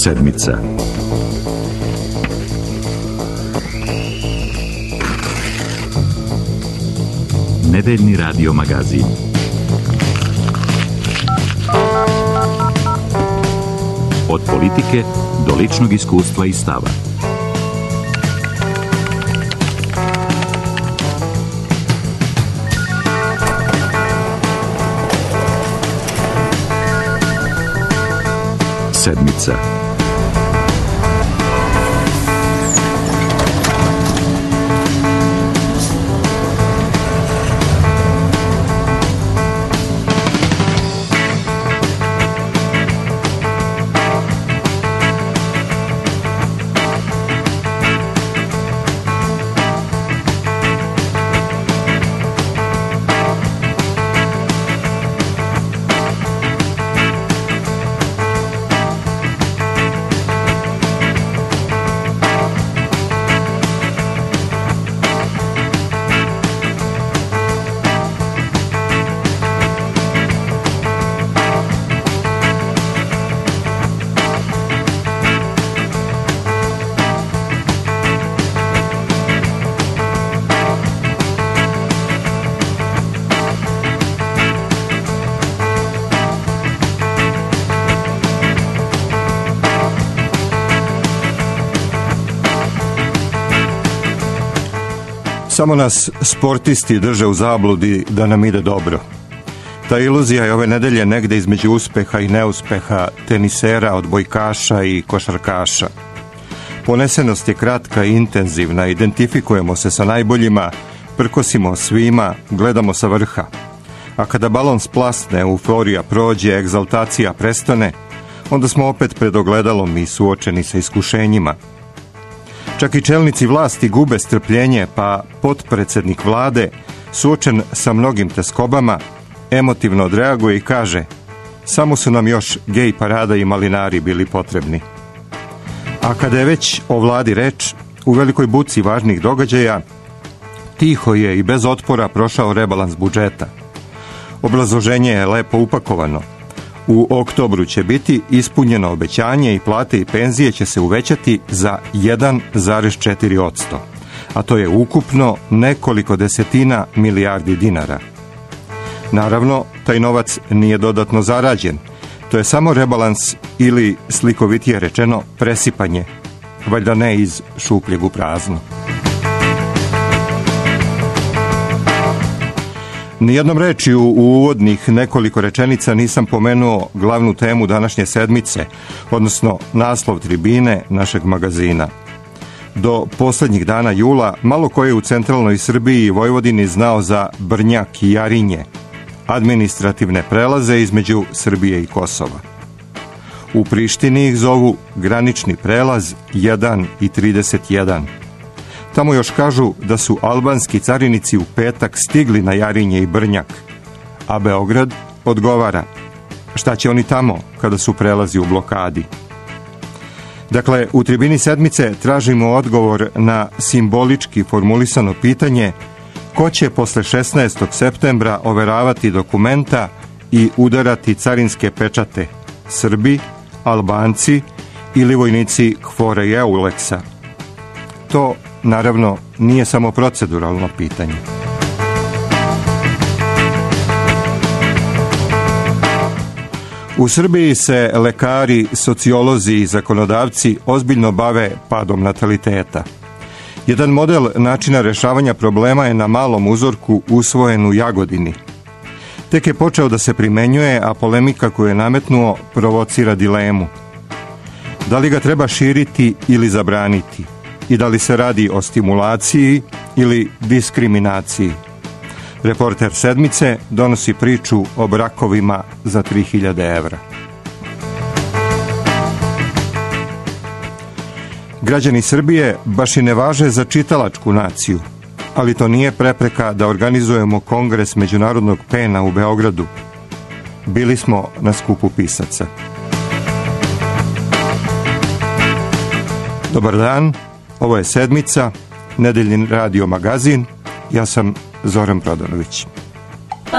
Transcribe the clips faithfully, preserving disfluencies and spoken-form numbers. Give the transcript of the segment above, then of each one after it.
Sedmica. Nedeljni radio magazin. Od politike do ličnog iskustva i stava. Sedmica. Samo nas sportisti drže u zabludi da nam ide dobro. Ta iluzija je ove nedelje negde između uspeha i neuspeha tenisera, odbojkaša i košarkaša. Ponesenost je kratka i intenzivna, identifikujemo se sa najboljima, prkosimo svima, gledamo sa vrha. A kada balon splasne, euforija prođe, egzaltacija prestane, onda smo opet pred ogledalom i suočeni sa iskušenjima. Čak i čelnici vlasti gube strpljenje, pa potpredsednik vlade, suočen sa mnogim teskobama, emotivno odreaguje i kaže: samo su nam još gej parada i malinari bili potrebni. A kada je već o vladi reč, u velikoj buci važnih događaja, tiho je i bez otpora prošao rebalans budžeta. Obrazloženje je lepo upakovano. U oktobru će biti ispunjeno obećanje i plate i penzije će se uvećati za jedan zarez četiri posto, a to je ukupno nekoliko desetina milijardi dinara. Naravno, taj novac nije dodatno zarađen. To je samo rebalans ili, slikovitije rečeno, presipanje, valjda ne iz šupljeg u prazno. Nijednom rečju u uvodnih nekoliko rečenica nisam pomenuo glavnu temu današnje sedmice, odnosno naslov tribine našeg magazina. Do poslednjih dana jula malo ko je u centralnoj Srbiji i Vojvodini znao za Brnjak i Jarinje, administrativne prelaze između Srbije i Kosova. U Prištini ih zovu granični prelaz jedan i trideset jedan. Tamo još kažu da su albanski carinici u petak stigli na Jarinje i Brnjak, a Beograd odgovara: šta će oni tamo kada su prelazi u blokadi? Dakle, u tribini sedmice tražimo odgovor na simbolički formulisano pitanje: ko će posle šesnaestog septembra overavati dokumenta i udarati carinske pečate, Srbi, Albanci ili vojnici KFOR-a i EULEX-a? To, naravno, nije samo proceduralno pitanje. U Srbiji se lekari, sociolozi i zakonodavci ozbiljno bave padom nataliteta. Jedan model načina rešavanja problema je na malom uzorku usvojen u Jagodini. Tek je počeo da se primenjuje, a polemika koju je nametnuo provocira dilemu. Da li ga treba širiti ili zabraniti? I da li se radi o stimulaciji ili diskriminaciji? Reporter sedmice donosi priču o brakovima za tri hiljade evra. Građani Srbije baš i ne važe za čitalačku naciju, ali to nije prepreka da organizujemo kongres međunarodnog pena u Beogradu. Bili smo na skupu pisaca. Dobar dan, ovo je sedmica, nedeljni radio magazin, ja sam Zoran Prodanović. Pa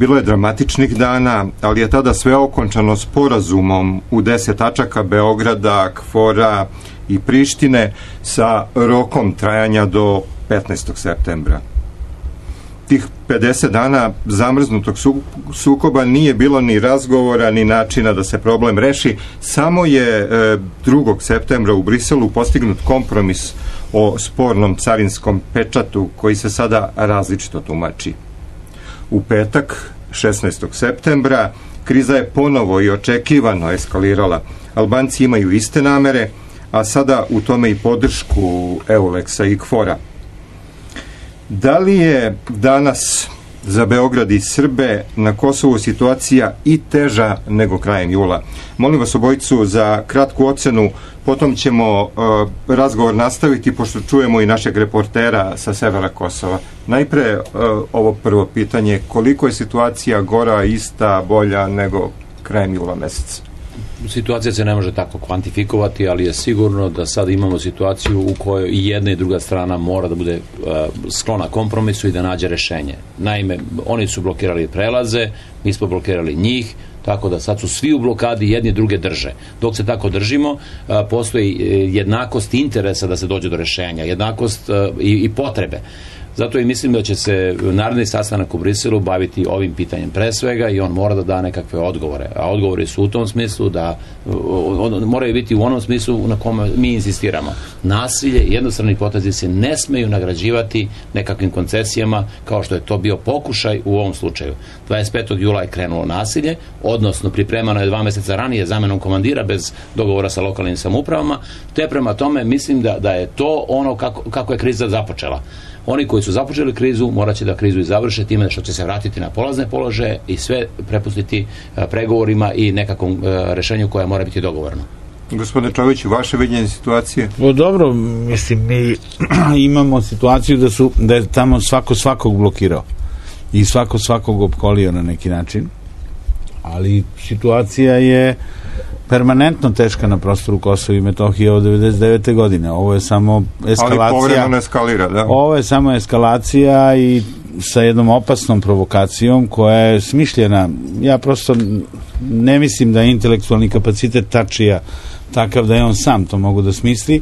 Bilo je dramatičnih dana, ali je tada sve okončano sporazumom u deset tačaka Beograda, Kfora i Prištine sa rokom trajanja do petnaestog septembra. Tih pedeset dana zamrznutog sukoba nije bilo ni razgovora, ni načina da se problem reši. Samo je drugog septembra u Briselu postignut kompromis o spornom carinskom pečatu koji se sada različito tumači. U petak, šesnaestog septembra, kriza je ponovo i očekivano eskalirala. Albanci imaju iste namere, a sada u tome i podršku Euleksa i Kfora. Da li je danas za Beograd i Srbe na Kosovu situacija i teža nego krajem jula? Molim vas obojicu za kratku ocenu, potom ćemo uh, razgovor nastaviti pošto čujemo i našeg reportera sa severa Kosova. Najpre uh, ovo prvo pitanje, koliko je situacija gora, ista, bolja nego krajem jula meseca? Situacija se ne može tako kvantifikovati, ali je sigurno da sad imamo situaciju u kojoj i jedna i druga strana mora da bude uh, sklona kompromisu i da nađe rešenje. Naime, oni su blokirali prelaze, mi smo blokirali njih, tako da sad su svi u blokadi, jedni druge drže. Dok se tako držimo, uh, postoji jednakost interesa da se dođe do rešenja, jednakost uh, i, i potrebe. Zato i mislim da će se naredni sastanak u Briselu baviti ovim pitanjem pre svega i on mora da da nekakve odgovore. A odgovori su u tom smislu da on, moraju biti u onom smislu na kome mi insistiramo. Nasilje i jednostrani potezi se ne smeju nagrađivati nekakvim koncesijama kao što je to bio pokušaj u ovom slučaju. dvadeset petog jula je krenulo nasilje, odnosno pripremano je dva meseca ranije zamenom komandira bez dogovora sa lokalnim samoupravama, te prema tome mislim da, da je to ono kako, kako je kriza započela. Oni koji su započeli krizu morat će da krizu i završe time što će se vratiti na polazne položaje i sve prepustiti pregovorima i nekakvom rešenju koje mora biti dogovorno. Gospodine Čoviću, vaše viđenje situacije? O, dobro, mislim, mi imamo situaciju da, su, da je tamo svako svakog blokirao i svako svakog opkolio na neki način, ali situacija je permanentno teška na prostoru Kosova i Metohije od devedeset devete godine. Ovo je samo eskalacija. Ali povremeno eskalira, da. Ovo je samo eskalacija i sa jednom opasnom provokacijom koja je smišljena. Ja prosto ne mislim da je intelektualni kapacitet Tačija takav da je on sam to mogu da smisli.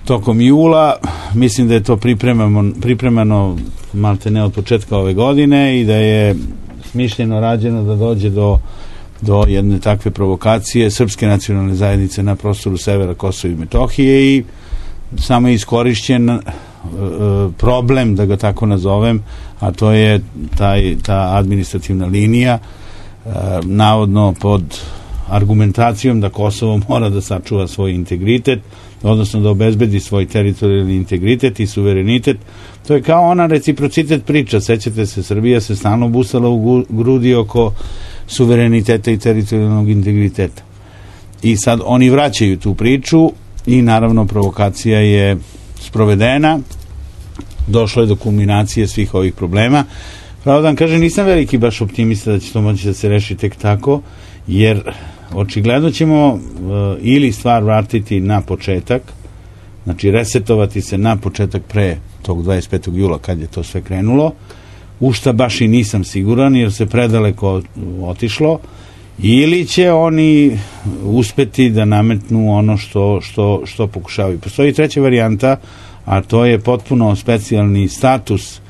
Tokom jula mislim da je to pripremano, pripremano malte ne od početka ove godine i da je smišljeno rađeno da dođe do do jedne takve provokacije srpske nacionalne zajednice na prostoru severa Kosova i Metohije i samo je iskorišćen uh, problem, da ga tako nazovem, a to je taj, ta administrativna linija uh, navodno pod argumentacijom da Kosovo mora da sačuva svoj integritet, odnosno da obezbedi svoj teritorijalni integritet i suverenitet. To je kao ona reciprocitet priča. Sećate se, Srbija se stalno busala u grudi oko suvereniteta i teritorijalnog integriteta. I sad oni vraćaju tu priču i naravno provokacija je sprovedena, došlo je do kulminacije svih ovih problema. Pravo da vam kažem, nisam veliki baš optimista da će to moći da se reši tek tako, jer očigledno ćemo uh, ili stvar vratiti na početak, znači resetovati se na početak pre tog dvadeset petog jula kad je to sve krenulo, u šta baš i nisam siguran jer se predaleko otišlo, ili će oni uspeti da nametnu ono što, što, što pokušavaju. Postoji treća varijanta, a to je potpuno specijalni status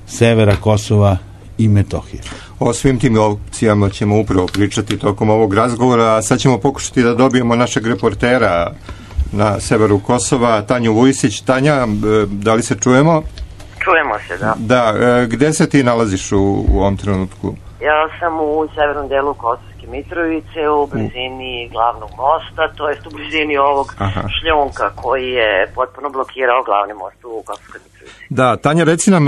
severa Kosova i Metohije. O svim tim opcijama ćemo upravo pričati tokom ovog razgovora, a sad ćemo pokušati da dobijemo našeg reportera na severu Kosova, Tanju Vujisić. Tanja, da li se čujemo? Čujemo se, da. Da, gde se ti nalaziš u, u ovom trenutku? Ja sam u severnom delu Kosovske Mitrovice, u blizini glavnog mosta, to jest u blizini ovog Aha. šljunka koji je potpuno blokirao glavni most u Kosovskoj Mitrovici. Da, Tanja, reci nam,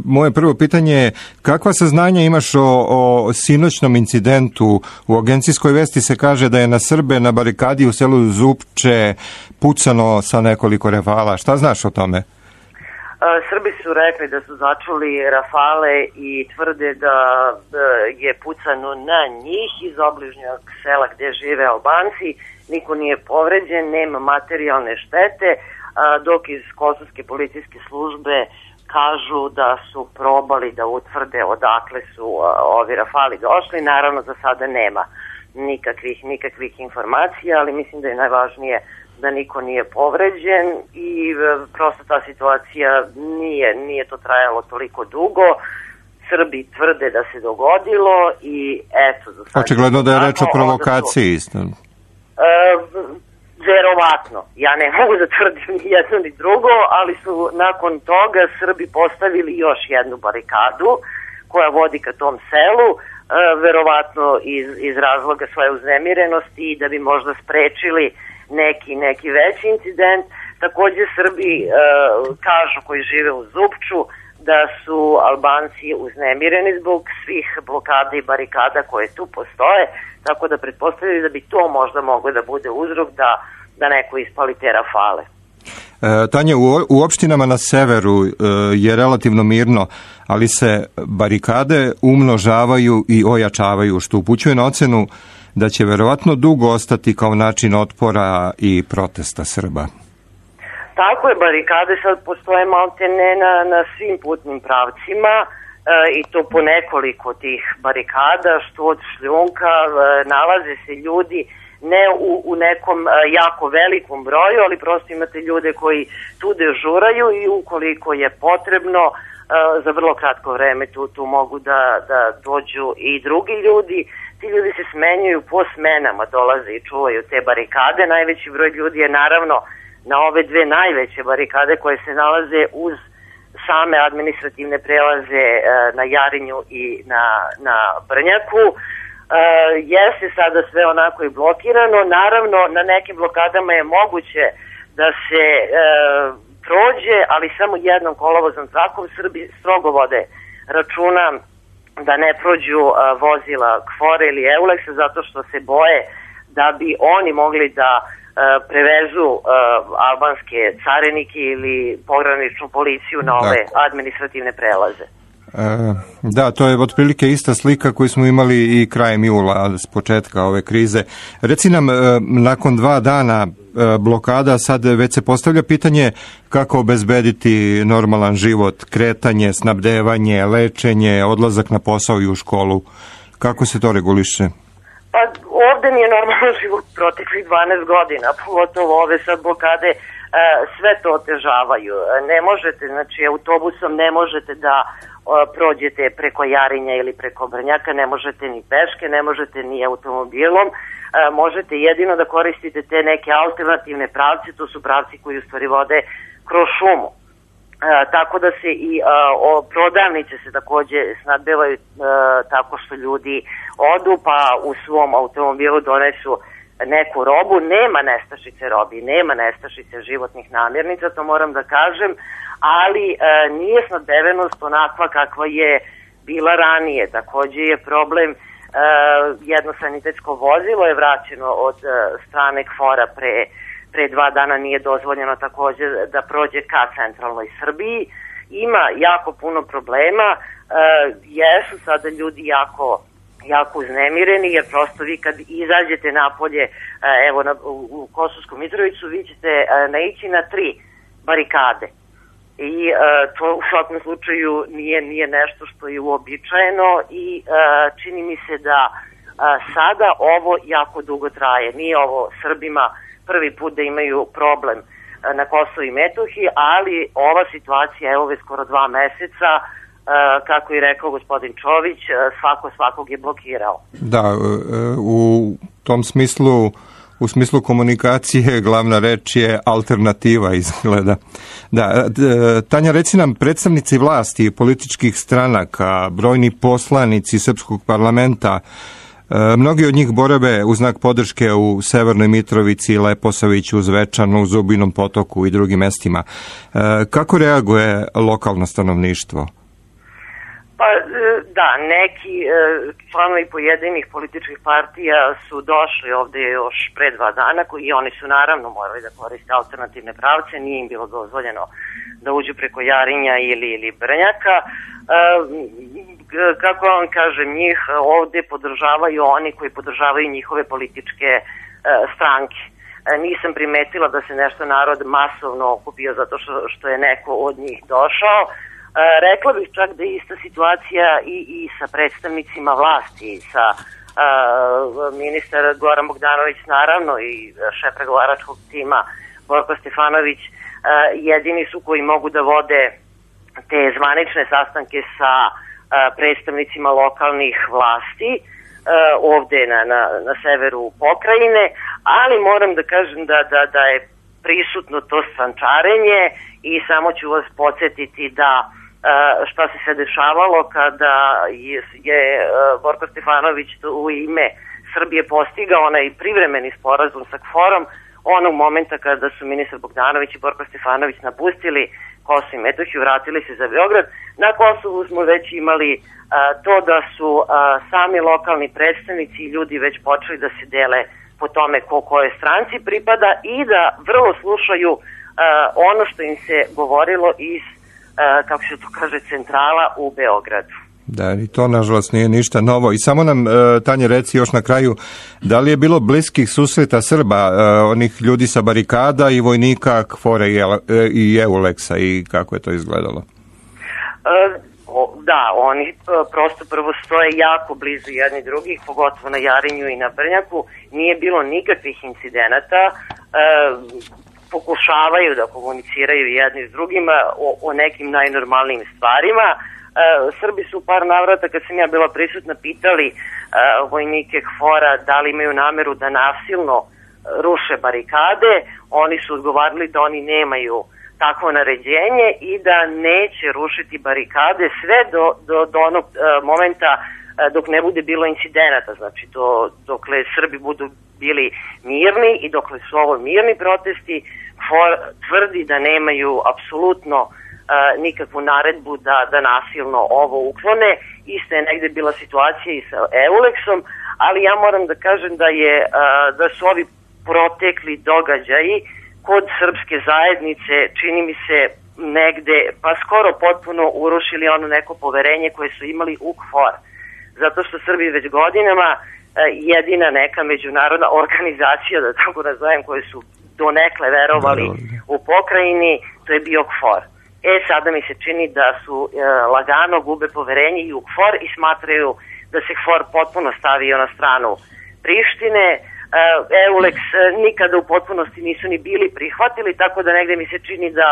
moje prvo pitanje je, kakva saznanja imaš o, o sinoćnom incidentu? U agencijskoj vesti se kaže da je na Srbe na barikadi u selu Zupče pucano sa nekoliko rafala. Šta znaš o tome? Srbi su rekli da su začuli rafale i tvrde da je pucano na njih iz obližnjeg sela gde žive Albanci. Niko nije povređen, nema materijalne štete, dok iz kosovske policijske službe kažu da su probali da utvrde odakle su ovi rafali došli. Naravno, za sada nema nikakvih, nikakvih informacija, ali mislim da je najvažnije da niko nije povređen i prosto ta situacija nije, nije to trajalo toliko dugo. Srbi tvrde da se dogodilo i eto... Očigledno da je reč o provokaciji isto. E, verovatno. Ja ne mogu da tvrdim ni jedno ni drugo, ali su nakon toga Srbi postavili još jednu barikadu koja vodi ka tom selu, e, verovatno iz, iz razloga svoje uznemirenosti i da bi možda sprečili neki, neki veći incident. Takođe Srbi e, kažu koji žive u Zupču da su Albanci uznemireni zbog svih blokada i barikada koje tu postoje, tako da pretpostavljaju da bi to možda moglo da bude uzrok da, da neko ispali te rafale. E, Tanja, u, u opštinama na severu e, je relativno mirno, ali se barikade umnožavaju i ojačavaju, što upućuje na ocenu da će verovatno dugo ostati kao način otpora i protesta Srba. Tako je, barikade sad postoje maltene na, na svim putnim pravcima e, i to po nekoliko tih barikada, što od šljunka e, nalaze se ljudi ne u, u nekom e, jako velikom broju, ali prosto imate ljude koji tu dežuraju i ukoliko je potrebno e, za vrlo kratko vreme tu, tu mogu da, da dođu i drugi ljudi. Ti ljudi se smenjuju po smenama, dolaze i čuvaju te barikade. Najveći broj ljudi je naravno na ove dve najveće barikade koje se nalaze uz same administrativne prelaze e, na Jarinju i na, na Brnjaku. E, jeste sada sve onako i blokirano. Naravno, na nekim blokadama je moguće da se e, prođe, ali samo jednom kolovozom trakom. Srbi strogo vode računa da ne prođu e, vozila Kfore ili Euleksa zato što se boje da bi oni mogli da prevezu uh, albanske carinike ili pograničnu policiju na ove Tako. administrativne prelaze. E, da, to je otprilike ista slika koju smo imali i krajem jula, s početka ove krize. Reci nam, e, nakon dva dana e, blokada, sad već se postavlja pitanje kako obezbediti normalan život, kretanje, snabdevanje, lečenje, odlazak na posao i u školu. Kako se to reguliše? Pa ovde nije normalan život proteklih dvanaest godina, pogotovo ove sad blokade, e, sve to otežavaju. Ne možete, znači autobusom ne možete da o, prođete preko Jarinja ili preko Brnjaka, ne možete ni peške, ne možete ni automobilom, e, možete jedino da koristite te neke alternativne pravce, to su pravci koji u stvari vode kroz šumu. E, tako da se i e, o, prodavnice se takođe snadbevaju e, tako što ljudi odu pa u svom automobilu donesu neku robu. Nema nestašice robi, nema nestašice životnih namirnica, to moram da kažem, ali e, nije snadbevenost onakva kakva je bila ranije. Takođe je problem, e, jedno sanitetsko vozilo je vraćeno od e, strane Kfora pre pre dva dana, nije dozvoljeno takođe da prođe ka centralnoj Srbiji. Ima jako puno problema, e, jesu sada ljudi jako, jako uznemireni, jer prosto vi kad izađete napolje, e, evo na, u, u Kosovsku Mitrovicu, vi ćete e, naići na tri barikade. I e, to u svakom slučaju nije, nije nešto što je uobičajeno i e, čini mi se da e, sada ovo jako dugo traje. Nije ovo Srbima prvi put da imaju problem na Kosovu i Metohiji, ali ova situacija je ove skoro dva meseca, kako je rekao gospodin Čović, svako svakog je blokirao. Da, u tom smislu, u smislu komunikacije glavna reč je alternativa izgleda. Da, Tanja, reci nam, predstavnici vlasti, političkih stranaka, brojni poslanici Srpskog parlamenta, mnogi od njih borave u znak podrške u Severnoj Mitrovici, Leposaviću, Zvečanu, Zubinom Potoku i drugim mestima. Kako reaguje lokalno stanovništvo? Pa da, neki članovi pojedinih političkih partija su došli ovde još pre dva dana i oni su naravno morali da koriste alternativne pravce, nije im bilo dozvoljeno da uđu preko Jarinja ili, ili Brnjaka. Kako vam kažem, njih ovde podržavaju oni koji podržavaju njihove političke e, stranke. E, nisam primetila da se nešto narod masovno okupio zato što, što je neko od njih došao, rekla bih čak da je ista situacija i, i sa predstavnicima vlasti, sa uh, ministar Goran Bogdanović naravno i šef pregovaračkog tima Borko Stefanović uh, jedini su koji mogu da vode te zvanične sastanke sa uh, predstavnicima lokalnih vlasti uh, ovde na, na, na severu pokrajine, ali moram da kažem da, da, da je prisutno to strančarenje i samo ću vas podsjetiti da šta se se dešavalo kada je, je Borko Stefanović u ime Srbije postigao onaj privremeni sporazum sa KFOR-om onog momenta kada su ministar Bogdanović i Borko Stefanović napustili Kosovo i Metohiju, vratili se za Beograd. Na Kosovu smo već imali a, to da su a, sami lokalni predstavnici i ljudi već počeli da se dele po tome ko koje stranci pripada i da vrlo slušaju a, ono što im se govorilo iz kako se to kaže, centrala u Beogradu. Da, i to nažalost nije ništa novo. I samo nam, Tanja, reci još na kraju, da li je bilo bliskih susreta Srba, onih ljudi sa barikada i vojnika KFOR-a i Euleksa i kako je to izgledalo? Da, oni prosto prvo stoje jako blizu jedni drugih, pogotovo na Jarinju i na Brnjaku. Nije bilo nikakvih incidenata. Pokušavaju da komuniciraju jedni s drugima o, o nekim najnormalnijim stvarima. E, Srbi su par navrata, kad sam ja bila prisutna, pitali e, vojnike KFOR-a da li imaju nameru da nasilno ruše barikade. Oni su odgovarali da oni nemaju takvo naređenje i da neće rušiti barikade sve do, do, do onog e, momenta e, dok ne bude bilo incidenata. Znači, do, dokle Srbi budu bili mirni i dokle su ovo mirni protesti, KFOR tvrdi da nemaju apsolutno uh, nikakvu naredbu da, da nasilno ovo uklone. Isto je negde bila situacija i sa Euleksom, ali ja moram da kažem da je uh, da su ovi protekli događaji kod srpske zajednice, čini mi se, negde pa skoro potpuno urušili ono neko poverenje koje su imali u KFOR. Zato što Srbi već godinama jedina neka međunarodna organizacija, da tako nazovem, koje su donekle verovali u pokrajini, to je bio KFOR. E, sada mi se čini da su e, lagano gube poverenje i u KFOR i smatraju da se KFOR potpuno stavio na stranu Prištine. E, Euleks nikada u potpunosti nisu ni bili prihvatili, tako da negde mi se čini da,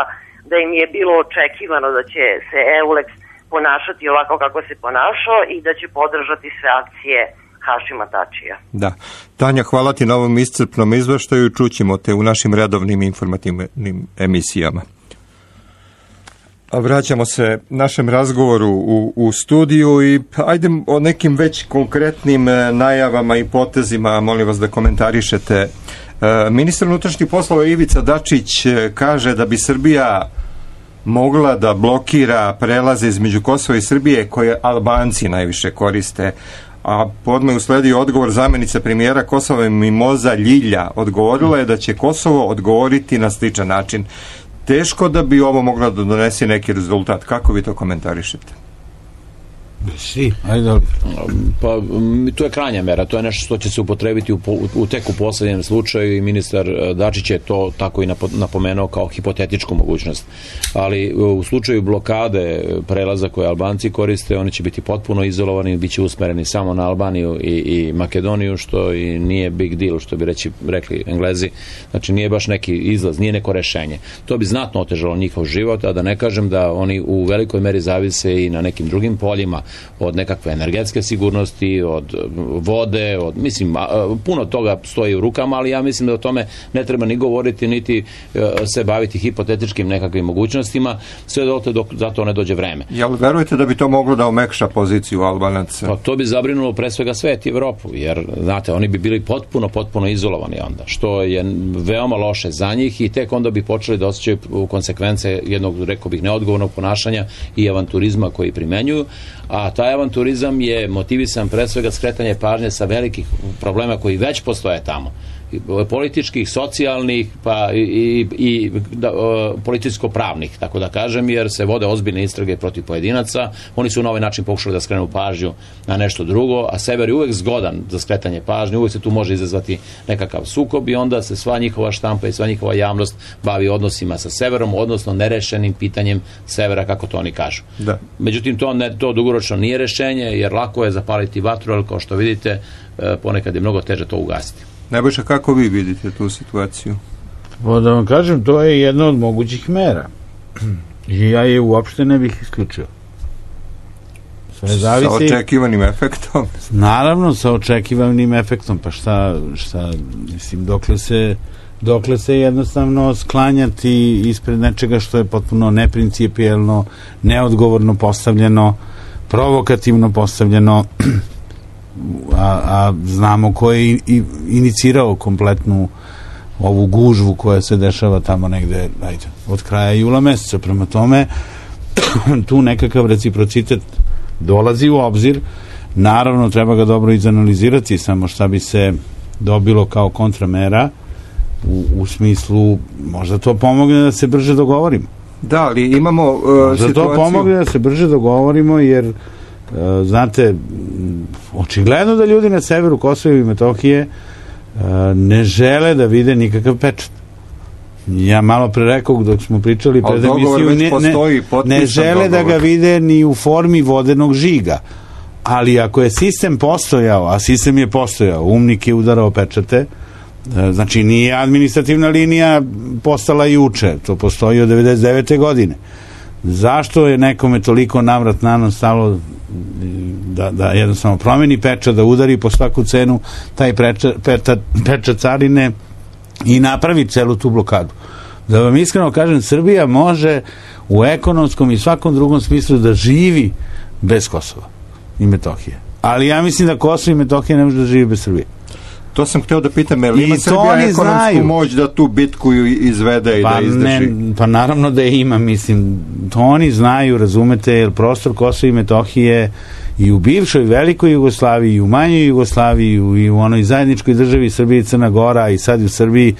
da im je bilo očekivano da će se Euleks ponašati ovako kako se ponašao i da će podržati sve akcije Hašima Tačija. Da. Tanja, hvala ti na ovom iscrpnom izveštaju. Čućemo te u našim redovnim informativnim emisijama. A vraćamo se našem razgovoru u, u studiju i ajde o nekim već konkretnim najavama i potezima, molim vas da komentarišete. E, ministar unutrašnjih poslova Ivica Dačić kaže da bi Srbija mogla da blokira prelaze između Kosova i Srbije koje Albanci najviše koriste. A podme usledio odgovor zamjenice premijera Kosova Mimoza Ljilja. Odgovorila je da će Kosovo odgovoriti na sličan način. Teško da bi ovo moglo da donese neki rezultat. Kako vi to komentarišete? Si, ajde. Pa, to je krajnja mera, to je nešto što će se upotrebiti u, u tek u poslednjem slučaju i ministar Dačić je to tako i napomenuo kao hipotetičku mogućnost. Ali u slučaju blokade prelaza koje Albanci koriste, oni će biti potpuno izolovani, bit će usmereni samo na Albaniju i, i Makedoniju, što i nije big deal, što bi reći, rekli Englezi. Znači nije baš neki izlaz, nije neko rešenje. To bi znatno otežalo njihov život, a da ne kažem da oni u velikoj meri zavise i na nekim drugim poljima, od nekakve energetske sigurnosti, od vode, od, mislim, puno toga stoji u rukama, ali ja mislim da o tome ne treba ni govoriti, niti se baviti hipotetičkim nekakvim mogućnostima, sve dotle dok za to ne dođe vreme. Jel verujete da bi to moglo da omekša poziciju Albanaca? Pa to bi zabrinulo pre svega svet i Evropu, jer, znate, oni bi bili potpuno, potpuno izolovani onda, što je veoma loše za njih i tek onda bi počeli da osjećaju konsekvence jednog, rekao bih, neodgovornog ponašanja i avanturizma koji primenjuju, a taj avanturizam je motivisan pre svega skretanje pažnje sa velikih problema koji već postoje tamo. političkih, socijalnih, pa i, i, i da, političko-pravnih, tako da kažem, jer se vode ozbiljne istrage protiv pojedinaca. Oni su na ovaj način pokušali da skrenu pažnju na nešto drugo, a sever je uvek zgodan za skretanje pažnje, uvek se tu može izazvati nekakav sukob i onda se sva njihova štampa i sva njihova javnost bavi odnosima sa severom, odnosno nerešenim pitanjem severa, kako to oni kažu. Da. Međutim, to, ne, to dugoročno nije rešenje, jer lako je zapaliti vatru, ali kao što vidite, ponekad je mnogo teže to ugasiti. Nebojša, kako vi vidite tu situaciju? O, da vam kažem, to je jedna od mogućih mera. I ja je uopšte ne bih isključio. Sve zavisi, sa očekivanim efektom? Naravno, sa očekivanim efektom. Pa šta, šta mislim, dokle se, dokle se jednostavno sklanjati ispred nečega što je potpuno neprincipijelno, neodgovorno postavljeno, provokativno postavljeno, a, a znamo ko je i, i inicirao kompletnu ovu gužvu koja se dešava tamo negde, ajde, od kraja jula meseca. Prema tome, tu nekakav reciprocitet dolazi u obzir. Naravno, treba ga dobro izanalizirati, samo šta bi se dobilo kao kontramera u, u smislu, možda to pomogne da se brže dogovorimo. Da, ali imamo uh, možda situaciju... to pomogne da se brže dogovorimo, jer uh, znate, očigledno da ljudi na severu Kosova i Metohije uh, ne žele da vide nikakav pečat. Ja malo pre rekao dok smo pričali pred emisiju, ne, postoji, ne, ne žele da ga vide ni u formi vodenog žiga. Ali ako je sistem postojao, a sistem je postojao, umnik je udarao pečate, znači nije administrativna linija postala juče, to postoji od devedeset devete godine. Zašto je nekome toliko navrat nanos stalo da, da jednostavno promeni pečat, da udari po svaku cenu taj pečat, pečat, pečat carine i napravi celu tu blokadu? Da vam iskreno kažem, Srbija može u ekonomskom i svakom drugom smislu da živi bez Kosova i Metohije. Ali ja mislim da Kosovo i Metohija ne može da živi bez Srbije. To sam hteo da pitam, je li ima Srbija ekonomsku znaju. moć da tu bitku izvede i pa da izdrži? Ne, pa naravno da je ima, mislim, to oni znaju, razumete, jer prostor Kosova i Metohije i u bivšoj velikoj Jugoslaviji, i u manjoj Jugoslaviji, i u onoj zajedničkoj državi Srbije i Crna Gora, i sad u Srbiji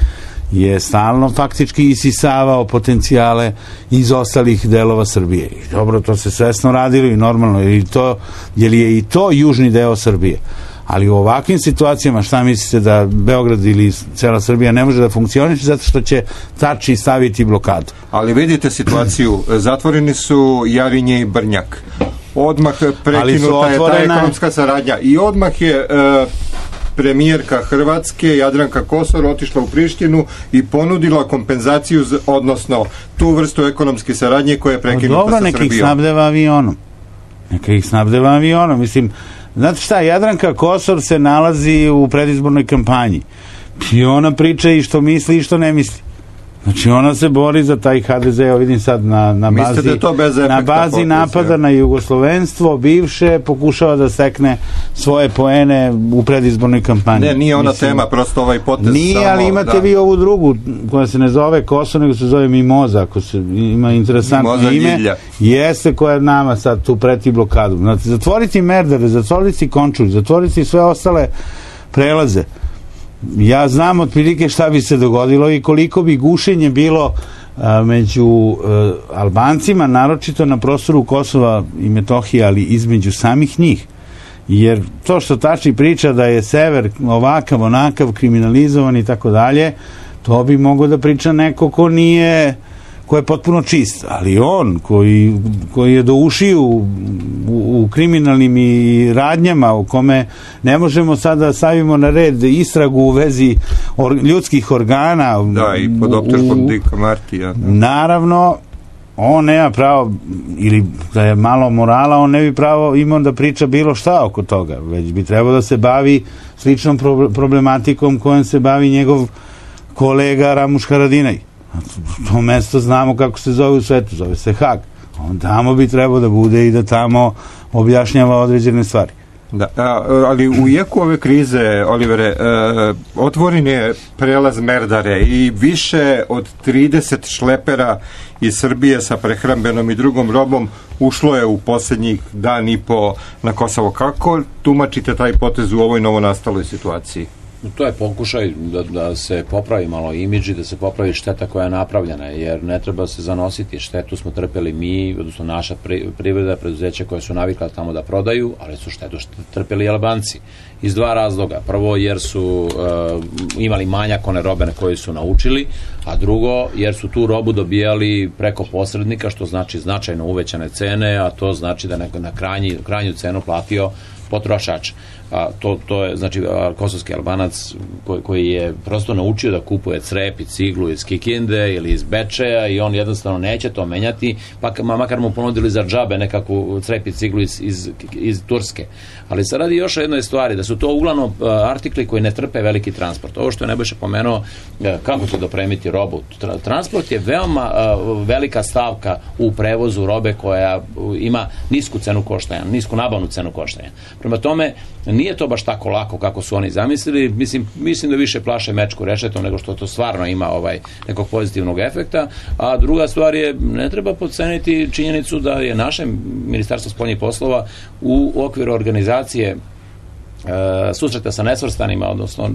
je stalno faktički isisavao potencijale iz ostalih delova Srbije. I dobro, to se svesno radilo i normalno, jer, i to, jer je i to južni deo Srbije. Ali u ovakvim situacijama, šta mislite da Beograd ili cela Srbija ne može da funkcioniše zato što će Tači staviti blokadu? Ali vidite situaciju, zatvoreni su Jarinje i Brnjak. Odmah prekinuta je ta ekonomska saradnja i odmah je uh, premijerka Hrvatske Jadranka Kosor otišla u Prištinu i ponudila kompenzaciju, z, odnosno tu vrstu ekonomske saradnje koja je prekinuta sa Srbijom. Dobro, neka ih snabdeva avionom. Neka ih snabdeva avionom. Mislim, znate šta, Jadranka Kosor se nalazi u predizbornoj kampanji. I ona priča i što misli i što ne misli. Znači ona se bori za taj ha de ze, evo vidim sad na, na bazi, da na bazi potez, napada ja. na jugoslovenstvo, bivše, pokušava da stekne svoje poene u predizbornoj kampanji. Ne, nije ona Mislim, tema, prosto ovaj potez. Nije, samo, ali imate da. vi ovu drugu, koja se ne zove Kosovo, nego se zove Mimoza, ako se ima interesantno Mimoza ime. Ljilja. Jeste, koja nama sad tu preti blokadu. Znači, zatvoriti Merdare, zatvoriti Končulj, zatvoriti sve ostale prelaze. Ja znam otprilike šta bi se dogodilo i koliko bi gušenje bilo a, među a, Albancima, naročito na prostoru Kosova i Metohije, ali između samih njih. Jer to što Tači priča da je sever ovakav, onakav, kriminalizovan i tako dalje, to bi mogo da priča neko ko nije, ko je potpuno čist, ali on koji, koji je do ušiju u, u, u kriminalnim i radnjama u kome ne možemo sada da stavimo na red istragu u vezi or, ljudskih organa. Da, i pod optužbom Dika Martija. Da. Naravno, on nema pravo, ili da je malo morala, on ne bi pravo imao da priča bilo šta oko toga, već bi trebao da se bavi sličnom problematikom kojom se bavi njegov kolega Ramuš Haradinaj. To mesto znamo kako se zove u svetu, zove se Hag. On tamo bi trebao da bude i da tamo objašnjava određene stvari. Da, ali u jeku ove krize, Olivere, otvoren je prelaz Merdare i više od trideset šlepera iz Srbije sa prehrambenom i drugom robom ušlo je u posljednjih dan i po na Kosovo. Kako tumačite taj potez u ovoj novonastaloj situaciji? To je pokušaj da, da se popravi malo imidž i da se popravi šteta koja je napravljena, jer ne treba se zanositi. Štetu smo trpeli mi, odnosno naša privreda, preduzeća koja su navikla tamo da prodaju, ali su štetu trpeli Albanci. Iz dva razloga. Prvo, jer su uh, imali manjak one robe na koje su naučili, a drugo, jer su tu robu dobijali preko posrednika, što znači značajno uvećane cene, a to znači da neko na krajnji, krajnju cenu platio potrošač. A to, to je, znači, kosovski Albanac koji, koji je prosto naučio da kupuje crep i ciglu iz Kikinde ili iz Bečeja i on jednostavno neće to menjati, pa makar mu ponudili za džabe nekakvu crep i ciglu iz, iz, iz Turske. Ali se radi još o jednoj stvari, da su to uglavnom artikli koji ne trpe veliki transport. Ovo što je Nebojša pomenuo, kako će dopremiti robu. Transport je veoma velika stavka u prevozu robe koja ima nisku cenu koštanja, nisku nabavnu cenu koštanja. Prema tome, nije to baš tako lako kako su oni zamislili. Mislim, mislim da više plaše mečku rešetom nego što to stvarno ima ovaj nekog pozitivnog efekta. A druga stvar je, ne treba podceniti činjenicu da je naše Ministarstvo spoljnih poslova u okviru organizacije e, susreta sa nesvrstanima, odnosno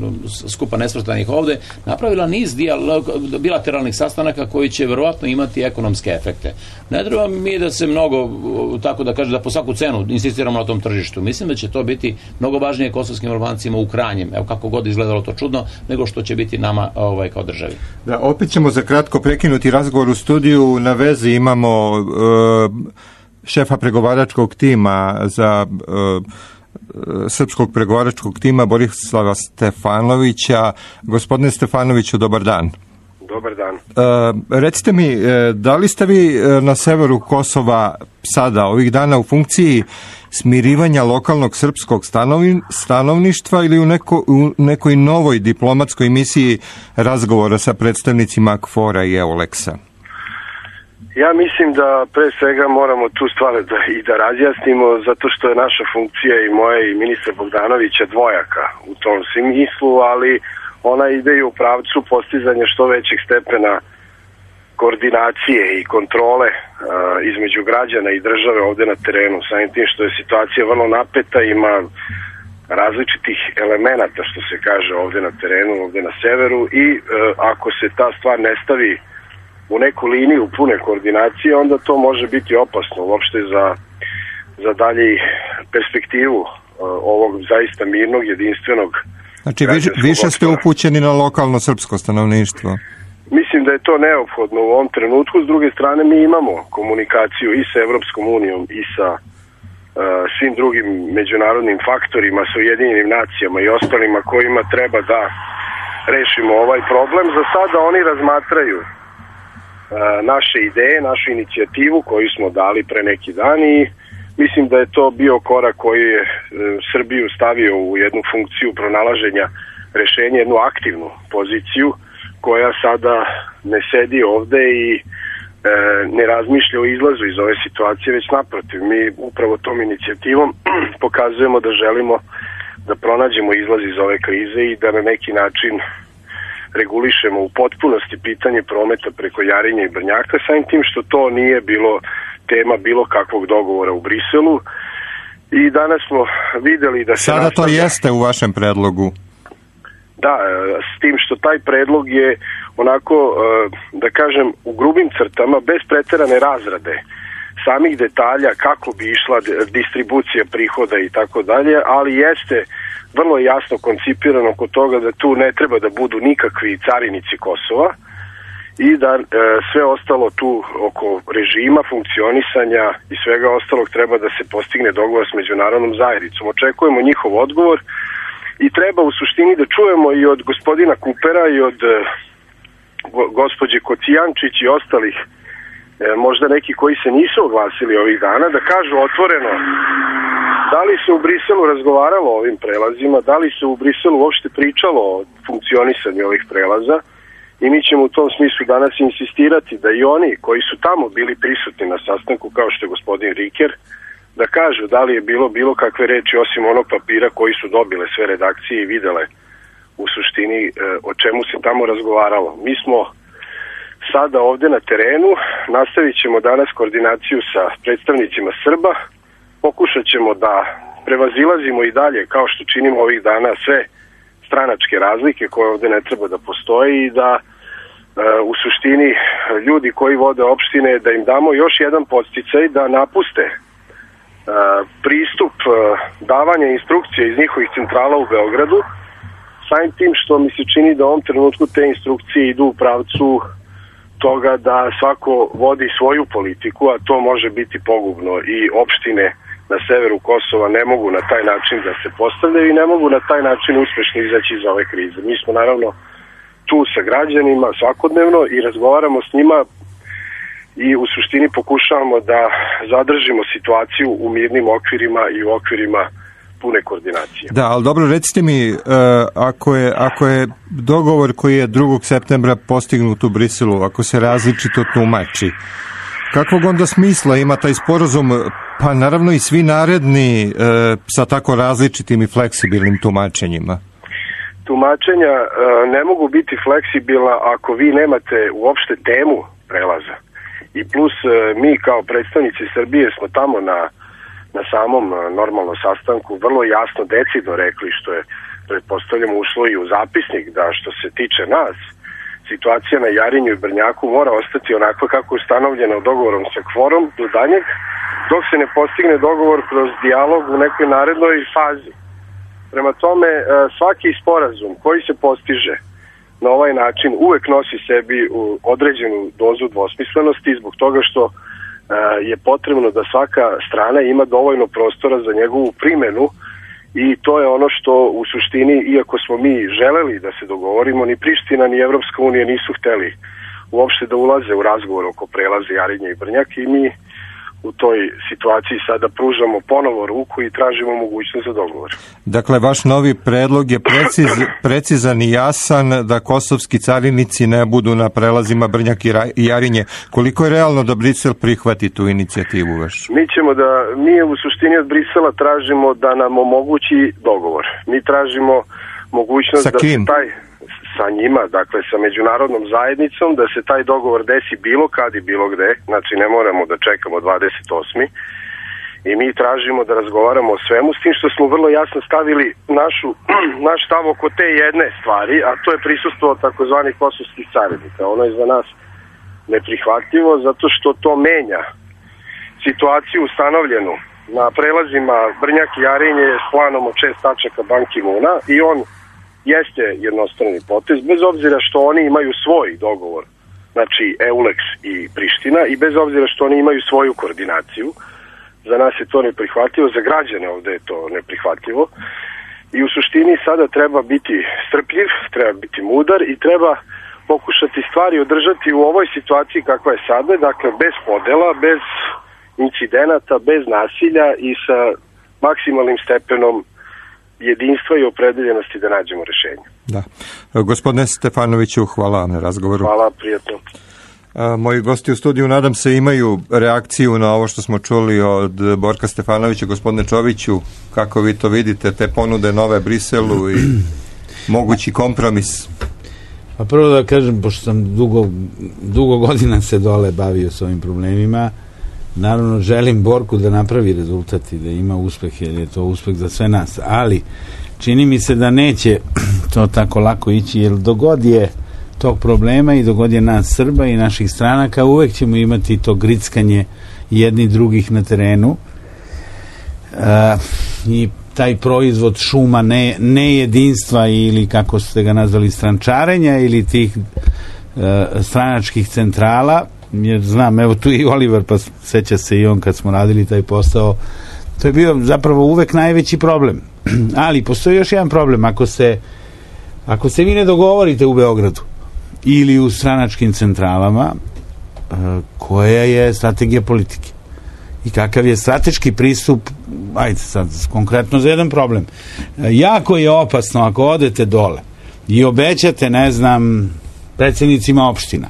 skupa nesvrstanih ovde, napravila niz dijalog, bilateralnih sastanaka koji će verovatno imati ekonomske efekte. Ne treba mi da se mnogo, tako da kažem, da po svaku cenu insistiramo na tom tržištu. Mislim da će to biti mnogo važnije kosovskim Albancima u krajnjem, evo kako god izgledalo to čudno, nego što će biti nama ovaj, kao državi. Da, opet ćemo za kratko prekinuti razgovor u studiju. Na vezi imamo uh, šefa pregovaračkog tima za uh, srpskog pregovaračkog tima Borislava Stefanovića. Gospodine Stefanoviću, dobar dan. Dobar dan. E, recite mi, da li ste vi na severu Kosova sada, ovih dana, u funkciji smirivanja lokalnog srpskog stanovni, stanovništva ili u, neko, u nekoj novoj diplomatskoj misiji razgovora sa predstavnicima KFOR-a i EULEX-a? Ja mislim da pre svega moramo tu stvar da, i da razjasnimo, zato što je naša funkcija i moja i ministra Bogdanovića dvojaka u tom smislu, ali ona ide i u pravcu postizanja što većeg stepena koordinacije i kontrole a, između građana i države ovde na terenu. Samim tim što je situacija vrlo napeta, ima različitih elemenata, što se kaže, ovde na terenu, ovde na severu, i a, ako se ta stvar ne stavi u neku liniju pune koordinacije, onda to može biti opasno uopšte za, za dalje perspektivu uh, ovog zaista mirnog, jedinstvenog. Znači, više, više ste upućeni na lokalno srpsko stanovništvo? Mislim da je to neophodno u ovom trenutku. S druge strane, mi imamo komunikaciju i sa Evropskom unijom i sa uh, svim drugim međunarodnim faktorima, sa Ujedinjenim nacijama i ostalima kojima treba da rešimo ovaj problem. Za sada oni razmatraju naše ideje, našu inicijativu koju smo dali pre neki dan, i mislim da je to bio korak koji je Srbiju stavio u jednu funkciju pronalaženja rešenja, jednu aktivnu poziciju koja sada ne sedi ovde i e, ne razmišlja o izlazu iz ove situacije, već naprotiv, mi upravo tom inicijativom pokazujemo da želimo da pronađemo izlaz iz ove krize i da na neki način regulišemo u potpunosti pitanje prometa preko Jarinja i Brnjaka, samim tim što to nije bilo tema bilo kakvog dogovora u Briselu. I danas smo videli da se sada nastavlja... to jeste u vašem predlogu. Da, s tim što taj predlog je onako, da kažem, u grubim crtama, bez preterane razrade samih detalja kako bi išla distribucija prihoda i tako dalje, ali jeste vrlo jasno koncipirano kod toga da tu ne treba da budu nikakvi carinici Kosova i da e, sve ostalo tu oko režima, funkcionisanja i svega ostalog treba da se postigne dogovor s međunarodnom zajednicom. Očekujemo njihov odgovor i treba u suštini da čujemo i od gospodina Kupera i od e, go, gospođe Kocijančić i ostalih, e, možda neki koji se nisu oglasili ovih dana, da kažu otvoreno da li se u Briselu razgovaralo o ovim prelazima, da li se u Briselu uopšte pričalo o funkcionisanju ovih prelaza, i mi ćemo u tom smislu danas insistirati da i oni koji su tamo bili prisutni na sastanku, kao što je gospodin Riker, da kažu da li je bilo bilo kakve reči osim onog papira koji su dobile sve redakcije i videle u suštini e, o čemu se tamo razgovaralo. Mi smo sada ovde na terenu, nastavit ćemo danas koordinaciju sa predstavnicima Srba, pokušat ćemo da prevazilazimo i dalje, kao što činimo ovih dana, sve stranačke razlike koje ovde ne treba da postoji i da u suštini ljudi koji vode opštine, da im damo još jedan podsticaj da napuste pristup davanja instrukcije iz njihovih centrala u Beogradu, samim tim što mi se čini da u ovom trenutku te instrukcije idu u pravcu toga da svako vodi svoju politiku, a to može biti pogubno i opštine na severu Kosova ne mogu na taj način da se postavljaju i ne mogu na taj način uspešno izaći iz ove krize. Mi smo naravno tu sa građanima svakodnevno i razgovaramo s njima i u suštini pokušavamo da zadržimo situaciju u mirnim okvirima i u okvirima pune koordinacije. Da, ali dobro, recite mi, uh, ako, je, ako je dogovor koji je drugog septembra postignut u Briselu, ako se različito tumači, kakvog onda smisla ima taj sporazum, pa naravno i svi naredni uh, sa tako različitim i fleksibilnim tumačenjima? Tumačenja uh, ne mogu biti fleksibilna ako vi nemate uopšte temu prelaza. I plus uh, mi kao predstavnici Srbije smo tamo na na samom normalnom sastanku vrlo jasno decidno rekli, što je, pretpostavljamo, ušlo i u zapisnik, da što se tiče nas, situacija na Jarinju i Brnjaku mora ostati onako kako je ustanovljeno dogovorom sa kvorom do danjeg, dok se ne postigne dogovor kroz dijalog u nekoj narednoj fazi. Prema tome, svaki sporazum koji se postiže na ovaj način uvek nosi sebi određenu dozu dvosmislenosti zbog toga što je potrebno da svaka strana ima dovoljno prostora za njegovu primenu i to je ono što u suštini, iako smo mi želeli da se dogovorimo, ni Priština ni Evropska unija nisu hteli uopšte da ulaze u razgovor oko prelaza Jarinje i Brnjak i mi u toj situaciji sada pružamo ponovo ruku i tražimo mogućnost za dogovor. Dakle, vaš novi predlog je preciz, precizan i jasan da kosovski carinici ne budu na prelazima Brnjak i Jarinje. Koliko je realno da Brisel prihvati tu inicijativu vašu? Mi ćemo da, mi u suštini od Brisela tražimo da nam omogući dogovor. Mi tražimo mogućnost da se taj... sa njima, dakle sa međunarodnom zajednicom, da se taj dogovor desi bilo kad i bilo gde, znači ne moramo da čekamo dvadeset osmi i mi tražimo da razgovaramo o svemu, s tim što smo vrlo jasno stavili našu, naš stav oko te jedne stvari, a to je prisustvo takozvanih kosovskih carinika. Ono je za nas neprihvatljivo zato što to menja situaciju ustanovljenu na prelazima Brnjak i Jarinje s planom od šest tačaka Ban Ki-moona i on jeste jednostrani potez, bez obzira što oni imaju svoj dogovor, znači EULEX i Priština, i bez obzira što oni imaju svoju koordinaciju. Za nas je to neprihvatljivo, za građane ovde je to neprihvatljivo i u suštini sada treba biti strpljiv, treba biti mudar i treba pokušati stvari održati u ovoj situaciji kakva je sada, dakle bez podela, bez incidenata, bez nasilja i sa maksimalnim stepenom jedinstva i opredeljenosti da nađemo rešenje. Da. Gospodine Stefanoviću, hvala vam na razgovoru. Hvala, prijatno. A, moji gosti u studiju, nadam se, imaju reakciju na ovo što smo čuli od Borka Stefanovića. Gospodine Čoviću, kako vi to vidite, te ponude nove Briselu i mogući kompromis? Pa prvo da kažem, pošto sam dugo, dugo godina se dole bavio s ovim problemima, naravno želim Borku da napravi rezultat i da ima uspeh, jer je to uspeh za sve nas, ali čini mi se da neće to tako lako ići, jer dogod je tog problema i dogod je nas Srba i naših stranaka, uvek ćemo imati to grickanje jedni drugih na terenu e, i taj proizvod šuma ne, ne jedinstva ili kako ste ga nazvali strančarenja ili tih e, stranačkih centrala, jer znam, evo tu i Oliver, pa seća se i on kad smo radili taj posao, to je bio zapravo uvek najveći problem. Ali postoji još jedan problem, ako se ako se vi ne dogovorite u Beogradu ili u stranačkim centralama, koja je strategija politike i kakav je strateški pristup, ajde sad konkretno za jedan problem, jako je opasno ako odete dole i obećate, ne znam, predsjednicima opština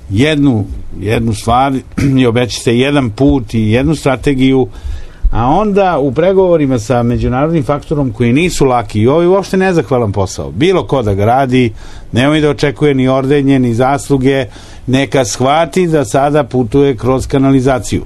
jednu, jednu stvar i obećate jedan put i jednu strategiju, a onda u pregovorima sa međunarodnim faktorom koji nisu laki i ovo je uopšte nezahvalan posao, bilo ko da ga radi, nemoj da očekuje ni ordenje ni zasluge, neka shvati da sada putuje kroz kanalizaciju.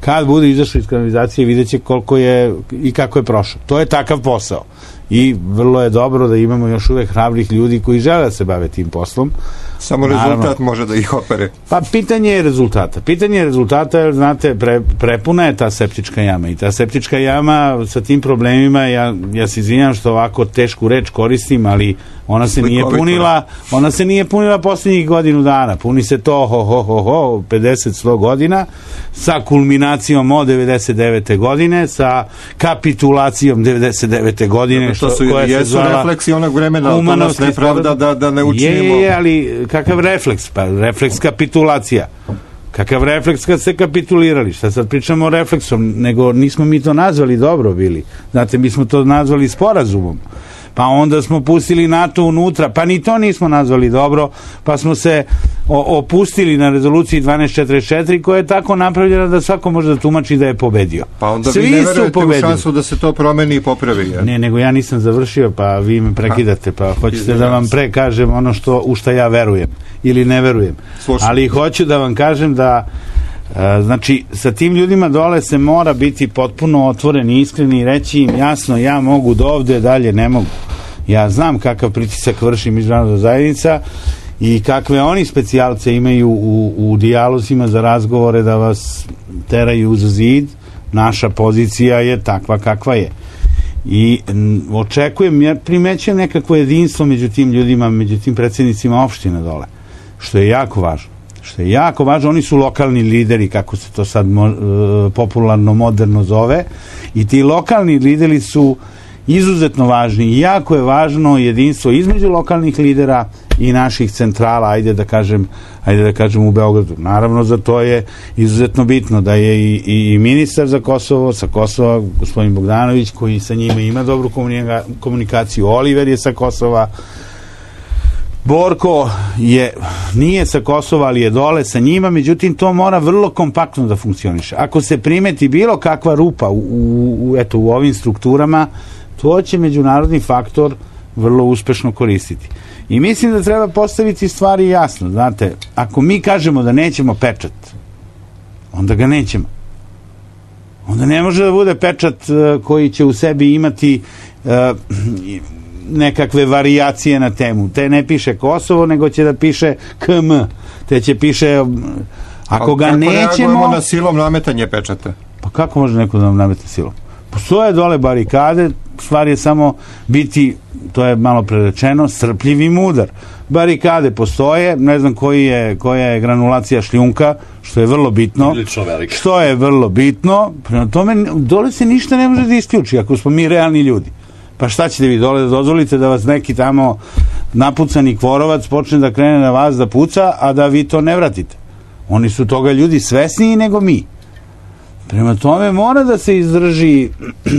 Kad bude izašao iz kanalizacije vidjet će koliko je i kako je prošao. To je takav posao. i vrlo je dobro da imamo još uvek hrabrih ljudi koji žele da se bave tim poslom. Samo Naravno, rezultat može da ih opere. Pa pitanje je rezultata. Pitanje je rezultata, jer znate, pre, prepuna je ta septička jama i ta septička jama sa tim problemima, ja, ja se izvinjam što ovako tešku reč koristim, ali ona se nije punila, ona se nije punila posljednjih godinu dana. Puni se to ho, ho, ho, ho, pedeset sto godina, sa kulminacijom od devedeset devete godine, sa kapitulacijom devedeset devete godine, što su koja jesu se zvala refleksi onog vremena, to nas ne pravda da, da ne učinimo. Je, je, ali kakav refleks? Pa refleks kapitulacija. Kakav refleks kad se kapitulirali? Šta sad pričamo o refleksom? Nego nismo mi to nazvali dobro bili. Znate, mi smo to nazvali sporazumom. Pa onda smo pustili NATO unutra, pa ni to nismo nazvali dobro, pa smo se o, opustili na rezoluciji dvanaest četrdeset četiri koja je tako napravljena da svako može da tumači da je pobedio. Pa onda Svi vi ne verujete pobedili. u šansu da se to promeni i popravi. Ja? Ne, nego ja nisam završio, pa vi me prekidate, pa hoćete da vam pre kažem ono što, u šta ja verujem ili ne verujem. Slušam. Ali hoću da vam kažem da E, znači, sa tim ljudima dole se mora biti potpuno otvoren i iskren i reći im jasno, ja mogu do ovde, dalje ne mogu. Ja znam kakav pritisak vrši međunarodna zajednica i kakve oni specijalce imaju u, u dijalozima za razgovore da vas teraju uz zid. Naša pozicija je takva kakva je. I m, očekujem, ja primećujem nekakvo jedinstvo među tim ljudima, među tim predsjednicima opština dole, što je jako važno. Što je jako važno, oni su lokalni lideri, kako se to sad mo, e, popularno, moderno zove, i ti lokalni lideri su izuzetno važni i jako je važno jedinstvo između lokalnih lidera i naših centrala, ajde da kažem, ajde da kažem u Beogradu. Naravno, za to je izuzetno bitno da je i, i, i ministar za Kosovo, sa Kosova, gospodin Bogdanović, koji sa njime ima dobru komunikaciju, Oliver je sa Kosova, Borko je, nije sa Kosova, ali je dole sa njima, međutim to mora vrlo kompaktno da funkcioniše. Ako se primeti bilo kakva rupa u, u, eto, u ovim strukturama, to će međunarodni faktor vrlo uspešno koristiti. I mislim da treba postaviti stvari jasno. Znate, ako mi kažemo da nećemo pečat, onda ga nećemo. Onda ne može da bude pečat uh, koji će u sebi imati uh, nekakve varijacije na temu. Te ne piše Kosovo, nego će da piše K M. Te će piše... Ako ga kako nećemo... reagujemo na silom nametanje pečata? Pa kako može neko da nam namete silom? Postoje dole barikade, stvar je samo biti, to je malo prerečeno, strpljiv i mudar. Barikade postoje, ne znam koji je, koja je granulacija šljunka, što je vrlo bitno. Što je vrlo bitno. Prema tome, dole se ništa ne može da isključi, ako smo mi realni ljudi. Pa šta ćete vi dole da dozvolite da vas neki tamo napucani kvorovac počne da krene na vas da puca, a da vi to ne vratite? Oni su toga ljudi svesniji nego mi. Prema tome mora da se izdrži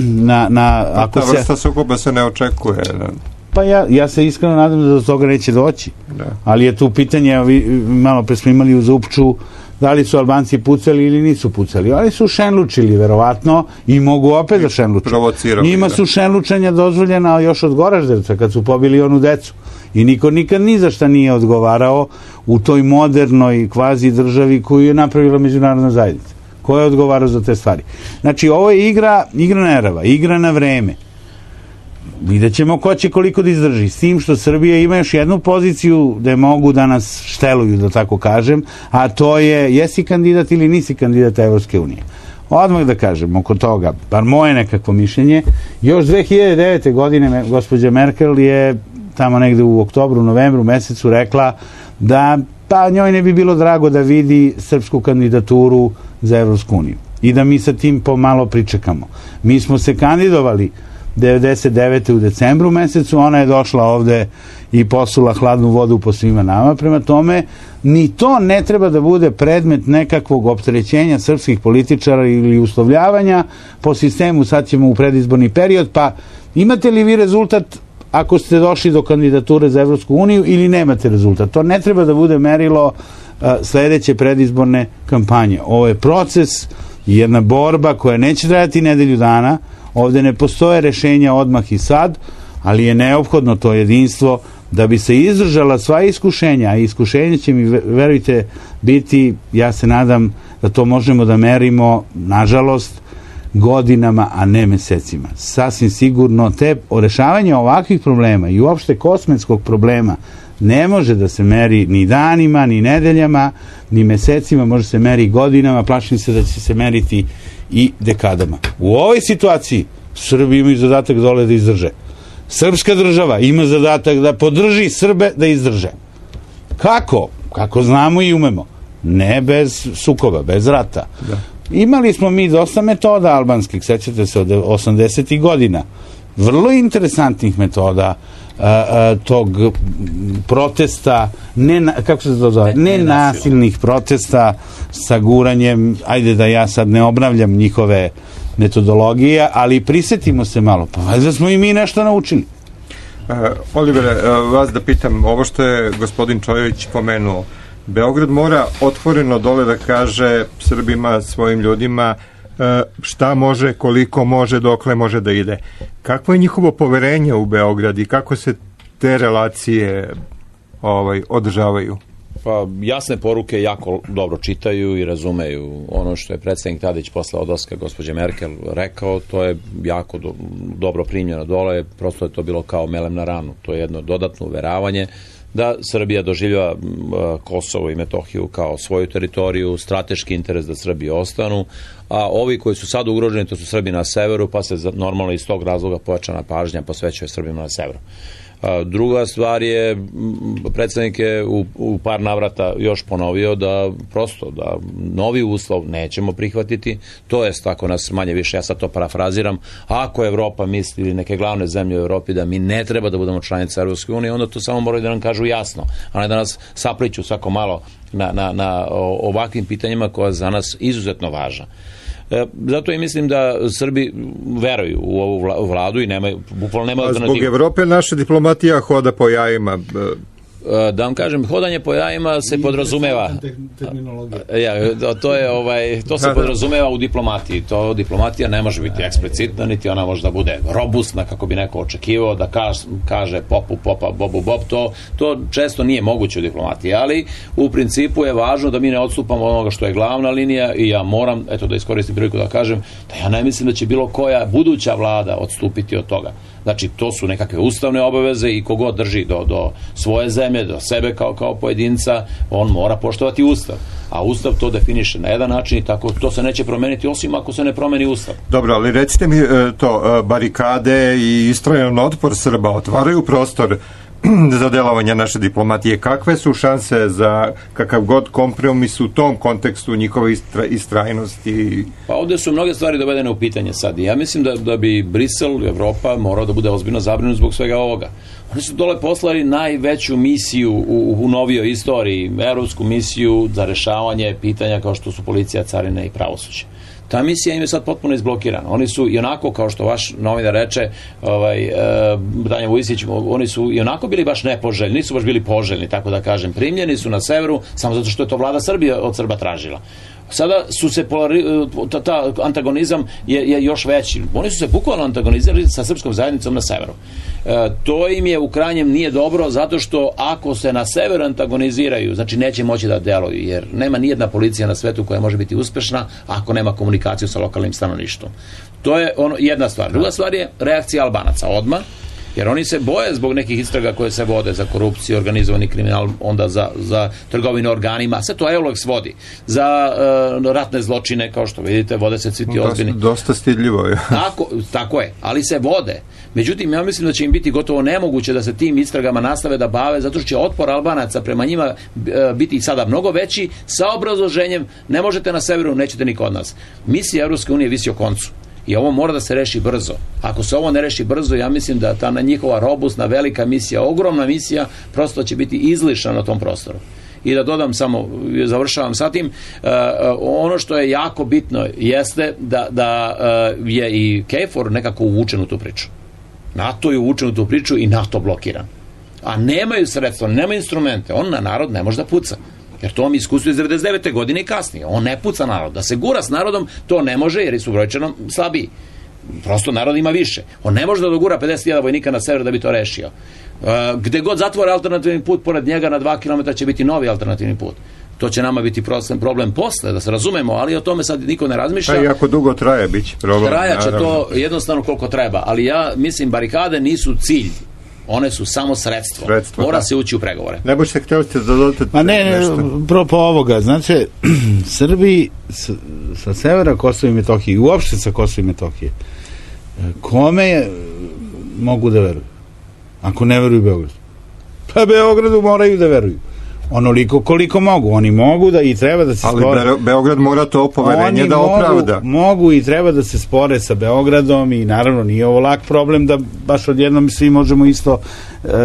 na... na pa ako ta vrsta se... sukoba se ne očekuje. Da. Pa ja, ja se iskreno nadam da do toga neće doći. Da. Ali je tu pitanje, vi, malo pre smo imali u Zupču, da li su Albanci pucali ili nisu pucali. Ali su šenlučili, verovatno, i mogu opet da šenluče. Njima su šenlučenja dozvoljena još od Goraždevca, kad su pobili onu decu. I niko nikad ni za šta nije odgovarao u toj modernoj kvazi državi koju je napravila međunarodna zajednica. Ko je odgovarao za te stvari? Znači, ovo je igra, igra nerava, igra na vreme. Vidjet ćemo ko će koliko da izdrži. S tim što Srbija ima još jednu poziciju gde mogu da nas šteluju, da tako kažem, a to je, jesi kandidat ili nisi kandidat Evropske unije. Odmah da kažem oko toga, bar moje nekakvo mišljenje, još dve hiljade devete. godine gospođa Merkel je tamo negde u oktobru, novembru mesecu rekla da pa njoj ne bi bilo drago da vidi srpsku kandidaturu za Evropsku uniju i da mi sa tim pomalo pričekamo. Mi smo se kandidovali devedeset devete. u decembru mesecu, ona je došla ovde i posula hladnu vodu po svima nama, prema tome ni to ne treba da bude predmet nekakvog opterećenja srpskih političara ili uslovljavanja po sistemu, sad ćemo u predizborni period, pa imate li vi rezultat ako ste došli do kandidature za Evropsku uniju ili nemate rezultat. To ne treba da bude merilo uh, sledeće predizborne kampanje. Ovo je proces, jedna borba koja neće trajati nedelju dana. Ovde ne postoje rešenja odmah i sad, ali je neophodno to jedinstvo da bi se izdržala sva iskušenja, a iskušenja će mi, verujte, biti, ja se nadam da to možemo da merimo, nažalost, godinama, a ne mesecima. Sasvim sigurno te rešavanje ovakvih problema i uopšte kosmetskog problema ne može da se meri ni danima, ni nedeljama, ni mesecima, može se meri godinama, plašim se da će se meriti i dekadama. U ovoj situaciji Srbi imaju zadatak dole da izdrže. Srpska država ima zadatak da podrži Srbe da izdrže. Kako? Kako znamo i umemo. Ne bez sukoba, bez rata. Da. Imali smo mi dosta metoda albanskih, sećate se, od osamdesetih godina. Vrlo interesantnih metoda a, a, tog protesta, ne, kako se to zove, ne nasilnih protesta sa guranjem, ajde da ja sad ne obnavljam njihove metodologije, ali prisetimo se malo, pa valjda smo i mi nešto naučili. Uh, Olivere, uh, vas da pitam, ovo što je gospodin Čojević pomenuo, Beograd mora otvoreno dole da kaže Srbima, svojim ljudima, uh, šta može, koliko može, dokle može da ide. Kakvo je njihovo poverenje u Beograd i kako se te relacije ovaj, održavaju? Pa jasne poruke jako dobro čitaju i razumeju. Ono što je predsjednik Tadić posle odlaska gospođe Merkel rekao, to je jako do, dobro primljeno dole, prosto je to bilo kao melem na ranu. To je jedno dodatno uveravanje da Srbija doživljava Kosovo i Metohiju kao svoju teritoriju, strateški interes da Srbi ostanu, a ovi koji su sad ugroženi, to su Srbi na severu, pa se normalno iz tog razloga pojačana pažnja posvećuje Srbima na severu. Druga stvar je, predsjednik je u, u par navrata još ponovio da prosto da novi uslov nećemo prihvatiti, to jest ako nas manje više, ja sad to parafraziram, ako Evropa misli ili neke glavne zemlje u Evropi da mi ne treba da budemo članice Europske unije, onda to samo moraju da nam kažu jasno, a ne da nas sapliću svako malo na, na, na ovakvim pitanjima koja za nas izuzetno važna. Zato i mislim da Srbi veruju u ovu vladu i nema, bukvalno nema alternativu. Zbog Evrope naša diplomatija hoda po jajima. Da vam kažem, hodanje po jajima se podrazumeva. Ja, to je ovaj, to se podrazumeva u diplomatiji. To diplomatija ne može biti eksplicitna, niti ona može da bude robustna kako bi neko očekivao da kaže, kaže popu popa bobu bob. To, to često nije moguće u diplomatiji, ali u principu je važno da mi ne odstupamo od onoga što je glavna linija i ja moram, eto da iskoristim priliku da kažem, da ja ne mislim da će bilo koja buduća vlada odstupiti od toga. Znači, to su nekakve ustavne obaveze i kogod drži do, do svoje zemlje, do sebe kao, kao pojedinca, on mora poštovati ustav. A ustav to definiše na jedan način i tako to se neće promeniti, osim ako se ne promeni ustav. Dobro, ali recite mi to, barikade i istrajan otpor Srba otvaraju prostor za delovanje naše diplomatije. Kakve su šanse za kakav god kompromis u tom kontekstu njihove istra, istrajnosti? Pa ovdje su mnoge stvari dovedene u pitanje sad. Ja mislim da, da bi Brisel, Evropa morao da bude ozbiljno zabrinut zbog svega ovoga. Oni su dole poslali najveću misiju u, u novijoj istoriji, evropsku misiju za rešavanje pitanja kao što su policija, carine i pravosuđe. Ta misija im je sad potpuno izblokirana. Oni su i onako, kao što vaš novinar reče, ovaj, e, Danja Vujisić, oni su i onako bili baš nepoželjni, nisu baš bili poželjni, tako da kažem. Primljeni su na severu, samo zato što je to vlada Srbije od Srba tražila. Sada su se polari, ta, ta antagonizam je, je još veći. Oni su se bukvalno antagonizirali sa srpskom zajednicom na severu. E, to im je u krajnjem nije dobro, zato što ako se na severu antagoniziraju, znači neće moći da deluju, jer nema nijedna policija na svetu koja može biti uspešna ako nema komunikaciju sa lokalnim stanovništvom. To je ono, jedna stvar. Druga stvar je reakcija Albanaca odmah, jer oni se boje zbog nekih istraga koje se vode za korupciju, organizovani kriminal, onda za, za trgovinu organima, sve to Eulex vodi, za uh, ratne zločine, kao što vidite, vode se svi ti ozbiljni. Dosta stidljivo je. Tako, tako je, ali se vode. Međutim, ja mislim da će im biti gotovo nemoguće da se tim istragama nastave da bave, zato što će otpor Albanaca prema njima biti sada mnogo veći, sa obrazloženjem, ne možete na severu, nećete niko od nas. Misija Evropske unije visi o koncu. I ovo mora da se reši brzo. Ako se ovo ne reši brzo, ja mislim da ta njihova robustna, velika misija, ogromna misija, prosto će biti izlišna na tom prostoru. I da dodam samo, završavam sa tim, uh, ono što je jako bitno jeste da, da uh, je i KFOR nekako uvučen u tu priču. NATO je uvučen u tu priču i NATO blokiran. A nemaju sredstva, nemaju instrumente. On na narod ne može da puca. Jer to mi iskustvo iz devedeset devete godine i kasnije. On ne puca narod. Da se gura s narodom, to ne može jer su brojčano slabiji. Prosto narod ima više. On ne može da dogura pedeset hiljada vojnika na sever da bi to rešio. Uh, gde god zatvore alternativni put, pored njega na dva kilometra će biti novi alternativni put. To će nama biti problem posle, da se razumemo, ali o tome sad niko ne razmišlja. Pa i ako dugo traje, bit će problem. Trajaće to jednostavno koliko treba, ali ja mislim barikade nisu cilj. One su samo sredstvo. sredstvo Mora da. se ući u pregovore. Ne boš se htjeli ste da dodate Ma ne, ne, propo ovoga, znači, Srbi sa, sa severa Kosova i Metohije i uopšte sa Kosova i Metohije, kome mogu da veruju? Ako ne veruju Beogradu? Pa Beogradu moraju da veruju. Onoliko koliko mogu. Oni mogu da i treba da se ali spore. Ali Beograd mora to poverenje da mogu, opravda. Mogu i treba da se spore sa Beogradom i naravno nije ovo lak problem da baš odjednom svi možemo isto,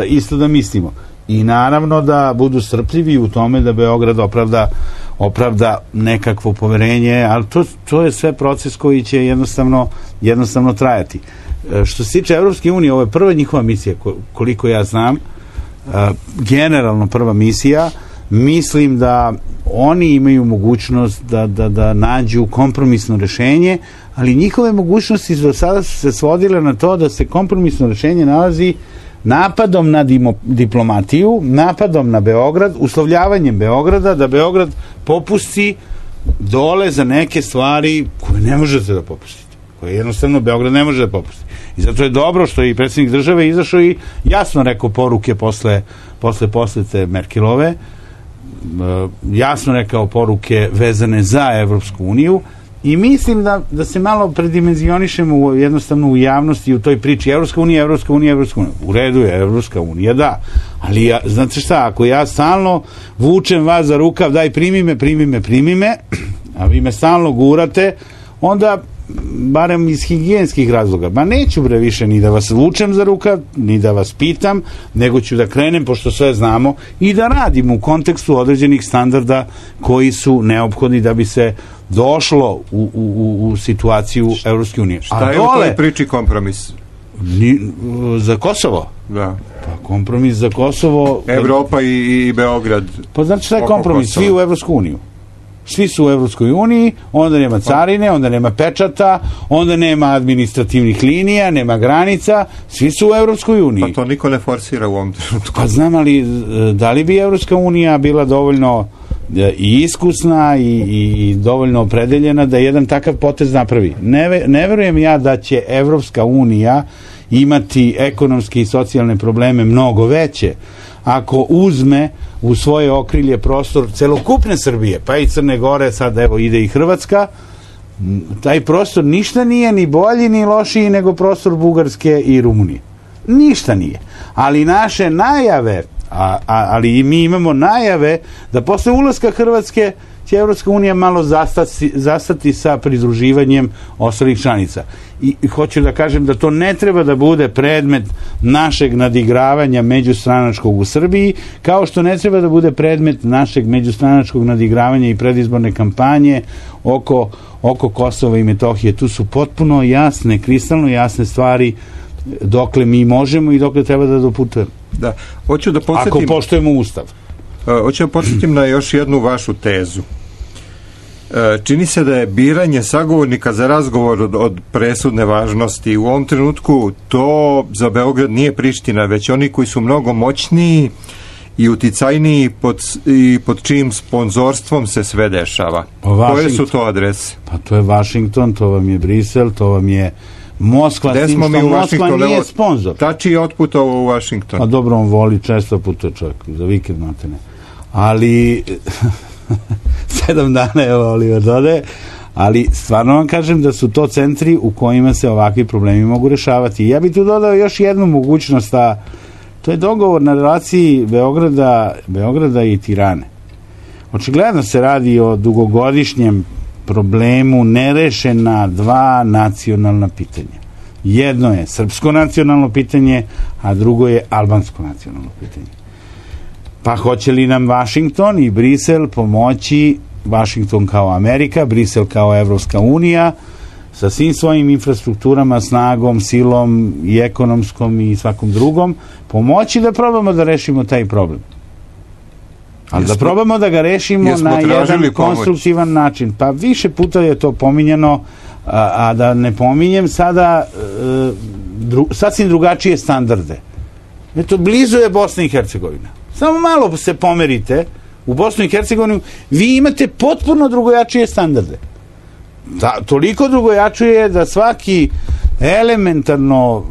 isto da mislimo. I naravno da budu strpljivi u tome da Beograd opravda, opravda nekakvo poverenje, ali to, to je sve proces koji će jednostavno, jednostavno trajati. Što se tiče Evropske unije, ovo je prva njihova misija, koliko ja znam, generalno prva misija. Mislim da oni imaju mogućnost da, da, da nađu kompromisno rešenje, ali njihove mogućnosti do sada su se svodile na to da se kompromisno rešenje nalazi napadom na dimo, diplomatiju, napadom na Beograd, uslovljavanjem Beograda, da Beograd popusti dole za neke stvari koje ne možete da popustite, koje jednostavno Beograd ne može da popusti. I zato je dobro što je i predsjednik države izašao i jasno rekao poruke posle, posle posete Merkelove, jasno rekao poruke vezane za Evropsku uniju i mislim da, da se malo predimenzionišemo jednostavno u javnosti u toj priči Evropska unija, Evropska unija, Evropska unija. U redu je Evropska unija, da. Ali ja, znate šta, ako ja stalno vučem vas za rukav, daj primi me, primi me, primi me, a vi me stalno gurate, onda barem iz higijenskih razloga, ma neću bre više ni da vas vučem za rukav, ni da vas pitam, nego ću da krenem, pošto sve znamo, i da radim u kontekstu određenih standarda koji su neophodni da bi se došlo u, u, u situaciju Evropske unije. Šta je u toj priči kompromis? Ni, za Kosovo? Da. Pa kompromis za Kosovo... Evropa i, i Beograd. Pa znači šta je kompromis? Svi u Evropsku uniju. Svi su u Evropskoj uniji, onda nema carine, onda nema pečata, onda nema administrativnih linija, nema granica, svi su u Evropskoj uniji. Pa to niko ne forsira u ovom trenutku. Pa znam, ali da li bi Evropska unija bila dovoljno i iskusna i, i, i dovoljno opredeljena da jedan takav potez napravi? Ne, ne verujem ja da će Evropska unija imati ekonomske i socijalne probleme mnogo veće ako uzme u svoje okrilje prostor celokupne Srbije, pa i Crne Gore, sad evo ide i Hrvatska, taj prostor ništa nije ni bolji ni lošiji nego prostor Bugarske i Rumunije. Ništa nije. Ali naše najave, a, a, ali i mi imamo najave da posle ulaska Hrvatske će Evropska unija malo zastati, zastati sa pridruživanjem ostalih članica. I, I hoću da kažem da to ne treba da bude predmet našeg nadigravanja međustranačkog u Srbiji, kao što ne treba da bude predmet našeg međustranačkog nadigravanja i predizborne kampanje oko, oko Kosova i Metohije. Tu su potpuno jasne, kristalno jasne stvari dokle mi možemo i dokle treba da doputujemo. Da, hoću da podsjetim... Ako poštujemo Ustav. Hoću da podsjetim na još jednu vašu tezu. Čini se da je biranje sagovornika za razgovor od, od presudne važnosti. U ovom trenutku to za Beograd nije Priština, već oni koji su mnogo moćniji i uticajniji pod, i pod čijim sponzorstvom se sve dešava. Koje su to adrese? Pa to je Washington, to vam je Brisel, to vam je Moskva, s tim što Moskva nije sponsor. Tači je otputovao u Washington. Pa dobro, on voli, često putuje čovjek, za vikend matene. Ali sedam dana je Oliver dode, ali stvarno vam kažem da su to centri u kojima se ovakvi problemi mogu rešavati. Ja bih tu dodao još jednu mogućnost, a to je dogovor na relaciji Beograda, Beograda i Tirane. Očigledno se radi o dugogodišnjem problemu nerešena dva nacionalna pitanja. Jedno je srpsko nacionalno pitanje, a drugo je albansko nacionalno pitanje. Pa hoće li nam Washington i Brisel pomoći, Washington kao Amerika, Brisel kao Evropska unija, sa svim svojim infrastrukturama, snagom, silom i ekonomskom i svakom drugom, pomoći da probamo da rešimo taj problem. Ali da probamo da ga rešimo na jedan konstruktivan pomoć. način. Pa više puta je to pominjano, a, a da ne pominjem sada e, dru, sasvim drugačije standarde. Eto, blizu je Bosna i Hercegovina. Samo malo se pomerite u Bosnu i Hercegovinu, vi imate potpuno drugojačije standarde. Da, toliko drugojačije da svaki elementarno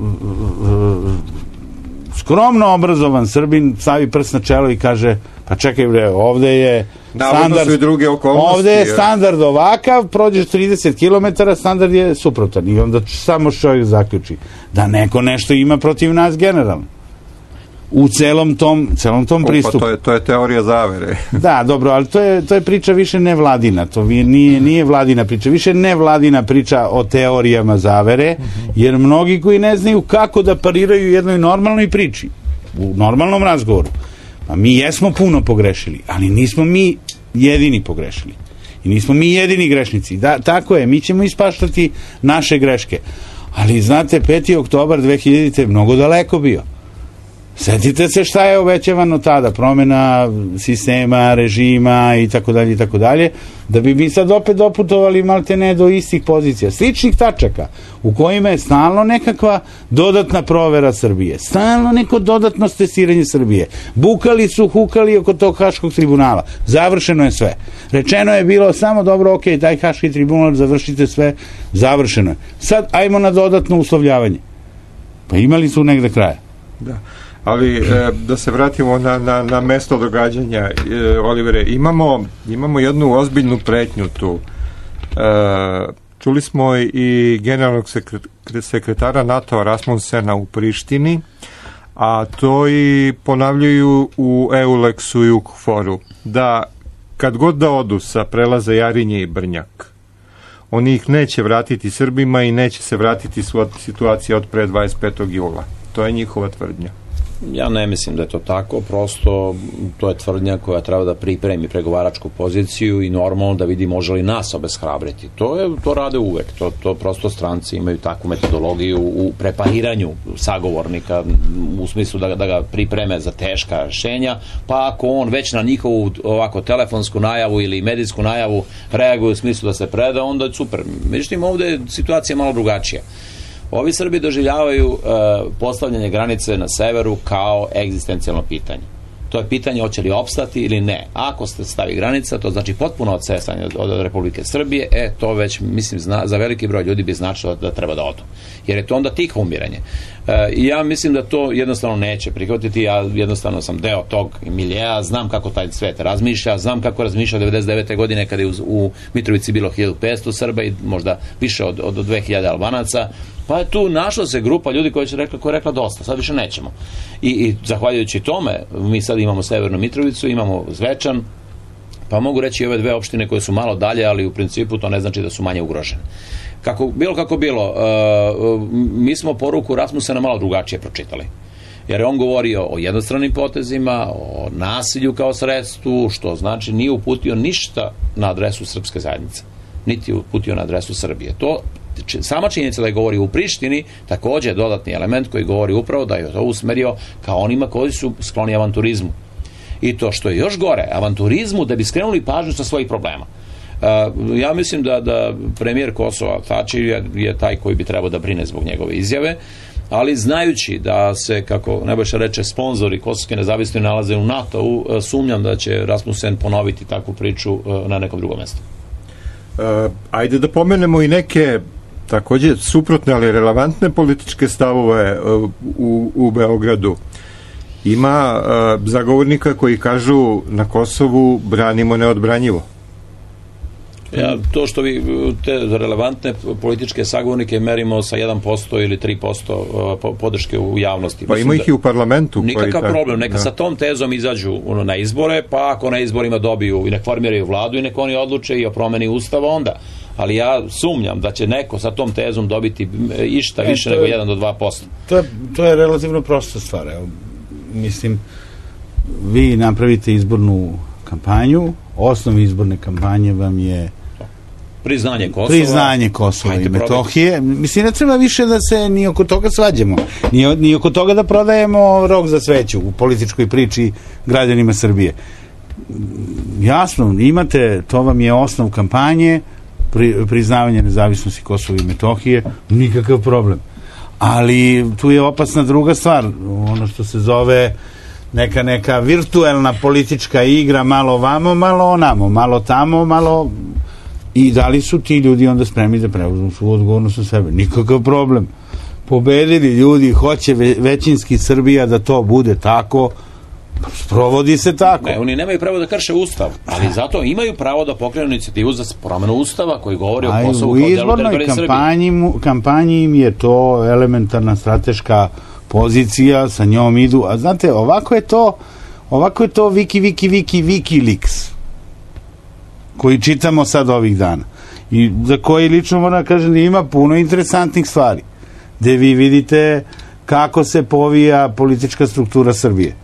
skromno obrazovan Srbin stavi prst na čelo i kaže, pa čekaj bre, ovde je standard, ovde je standard ovakav, prođeš trideset kilometara, standard je suprotan i onda samo čovjek zaključi da neko nešto ima protiv nas generalno. U celom tom, celom tom pristupu. Pa to je, to je teorija zavere. Da, dobro, ali to je, to je priča više nevladina, to nije, nije vladina priča, više nevladina priča o teorijama zavere, jer mnogi koji ne znaju kako da pariraju jednoj normalnoj priči, u normalnom razgovoru, pa mi jesmo puno pogrešili, ali nismo mi jedini pogrešili. I nismo mi jedini grešnici. Da, tako je, mi ćemo ispaštati naše greške. Ali znate, peti oktobar dve hiljadite je mnogo daleko bio. Sjetite se šta je obećavano tada, promjena sistema, režima i tako dalje i tako dalje, da bi mi sad opet doputovali malte ne do istih pozicija, sličnih tačaka u kojima je stalno nekakva dodatna provera Srbije, stalno neko dodatno testiranje Srbije. Bukali su, hukali oko tog Haškog tribunala. Završeno je sve. Rečeno je bilo samo dobro, ok, daj Haški tribunal, završite sve, završeno je. Sad ajmo na dodatno uslovljavanje. Pa imali su negde kraja. Da. Ali e, da se vratimo na, na, na mesto događanja, e, Olivere, imamo, imamo jednu ozbiljnu pretnju tu. E, čuli smo i generalnog sekretara NATO Rasmussena u Prištini, a to i ponavljaju u EULEX-u i u KFOR-u, da kad god da odu sa prelaza Jarinje i Brnjak, oni ih neće vratiti Srbima i neće se vratiti situacija od pre dvadeset petog jula. To je njihova tvrdnja. Ja ne mislim da je to tako, prosto to je tvrdnja koja treba da pripremi pregovaračku poziciju i normalno da vidi može li nas obeshrabriti. To je, to rade uvek, to, to prosto stranci imaju takvu metodologiju u prepariranju sagovornika u smislu da, da ga pripreme za teška rešenja, pa ako on već na njihovu ovako telefonsku najavu ili medijsku najavu reaguje u smislu da se preda, onda je super. Međutim, ovde je situacija malo drugačija. Ovi Srbi doživljavaju uh, postavljanje granice na severu kao egzistencijalno pitanje. To je pitanje hoće li opstati ili ne. Ako se stavi granica, to znači potpuno odsesanje od, od Republike Srbije, e, to već, mislim, zna, za veliki broj ljudi bi značilo da treba da odu. Jer je to onda tiho umiranje. I ja mislim da to jednostavno neće prihvatiti, ja jednostavno sam deo tog miljeja, znam kako taj svet razmišlja, znam kako razmišlja devedeset devete godine kada je u, u Mitrovici bilo hiljadu petsto Srba i možda više od, od dve hiljade Albanaca, pa je tu našla se grupa ljudi koji će rekla, koja je rekla dosta, sad više nećemo. I, i zahvaljujući tome, mi sad imamo Severnu Mitrovicu, imamo Zvečan, pa mogu reći i ove dve opštine koje su malo dalje, ali u principu to ne znači da su manje ugrožene. Kako, bilo kako bilo, uh, mi smo poruku Rasmussena malo drugačije pročitali. Jer je on govorio o jednostranim potezima, o nasilju kao sredstvu, što znači nije uputio ništa na adresu srpske zajednice. Niti uputio na adresu Srbije. To, sama činjenica da je govorio u Prištini, takođe je dodatni element koji govori upravo da je to usmerio kao onima koji su skloni avanturizmu. I to što je još gore, avanturizmu da bi skrenuli pažnju sa svojih problema. Uh, ja mislim da, da premijer Kosova Tači je, je taj koji bi trebao da brine zbog njegove izjave, ali znajući da se, kako Nebojša reče, sponzori kosovske nezavisnosti nalaze u NATO-u, uh, sumnjam da će Rasmussen ponoviti takvu priču uh, na nekom drugom mestu. Uh, ajde da pomenemo i neke takođe suprotne, ali relevantne političke stavove uh, u, u Beogradu. Ima uh, zagovornika koji kažu na Kosovu branimo neodbranjivo. Ja, to što vi te relevantne političke sagovornike merimo sa jedan posto ili tri posto podrške u javnosti. Pa ima ih i u parlamentu. Nikakav problem, neka da. Sa tom tezom izađu na izbore, pa ako na izborima dobiju i nek formiraju vladu i nek oni odluče i o promeni ustava onda. Ali ja sumnjam da će neko sa tom tezom dobiti išta više e, nego jedan do dva posto. To je, to je relativno prosta stvar. Evo, mislim, vi napravite izbornu kampanju, osnov izborne kampanje vam je priznanje Kosova, priznanje Kosova i Metohije. Mislim, ne treba više da se ni oko toga svađamo. Ni, ni oko toga da prodajemo rog za sveću u političkoj priči građanima Srbije. Jasno, imate, to vam je osnov kampanje, pri, priznavanje nezavisnosti Kosova i Metohije, nikakav problem. Ali tu je opasna druga stvar, ono što se zove neka neka virtuelna politička igra, malo vamo, malo onamo, malo tamo, malo... I da li su ti ljudi onda spremni da preuzmu svu odgovornost na sebe? Nikakav problem. Pobedili ljudi, hoće većinski Srbija da to bude tako, sprovodi se tako. Ne, oni nemaju pravo da krše ustav, ali zato imaju pravo da pokrenu inicijativu za promenu ustava koji govori o Kosovu kao delu teritorije Srbije. U izbornoj kampanji im je to elementarna strateška pozicija, sa njom idu, a znate, ovako je to ovako je to Viki, Viki, Viki, Wikileaks koji čitamo sad ovih dana i za koji lično moram da kažem da ima puno interesantnih stvari, gde vi vidite kako se povija politička struktura Srbije,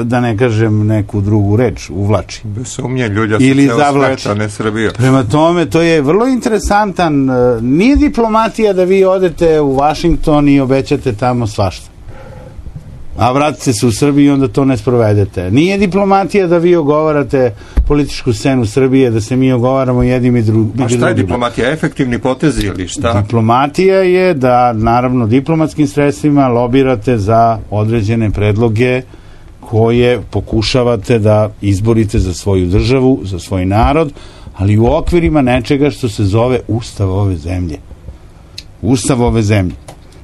da ne kažem neku drugu reč, uvlači. Bez sumnje, ljudja su ili ceo zavlači. Sveta, ne Srbija. Prema tome, to je vrlo interesantan, nije diplomatija da vi odete u Vašington i obećate tamo svašta, a vratite se u Srbiju i onda to ne sprovedete. Nije diplomatija da vi ogovarate političku scenu Srbije, da se mi ogovaramo jednim i drugim. A šta je diplomatija? Efektivni potezi ili šta? Diplomatija je da, naravno, diplomatskim sredstvima lobirate za određene predloge koje pokušavate da izborite za svoju državu, za svoj narod, ali u okvirima nečega što se zove Ustav ove zemlje. Ustav ove zemlje.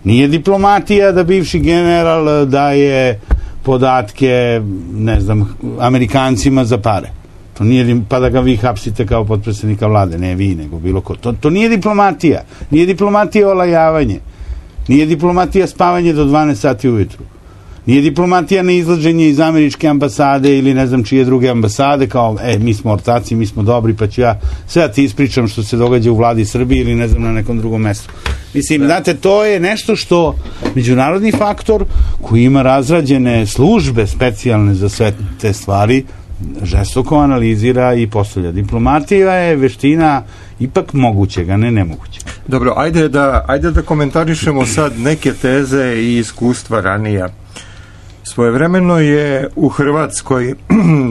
Nije diplomatija da bivši general daje podatke, ne znam, Amerikancima za pare. To nije, pa da ga vi hapsite kao potpredsjednika vlade, ne vi, nego bilo ko. To, to nije diplomatija. Nije diplomatija olajavanje. Nije diplomatija spavanje do dvanaest sati ujutru. Nije diplomatija na izlaženje iz američke ambasade ili ne znam čije druge ambasade, kao, e, mi smo ortaci, mi smo dobri, pa ću ja sve da ti ispričam što se događa u vladi Srbije ili ne znam na nekom drugom mestu. Mislim, da. Znate, to je nešto što međunarodni faktor koji ima razrađene službe specijalne za sve te stvari žestoko analizira i postavlja. Diplomatija je veština ipak mogućega, ne nemogućega. Dobro, ajde da, ajde da komentarišemo sad neke teze i iskustva ranija. Svojevremeno je u Hrvatskoj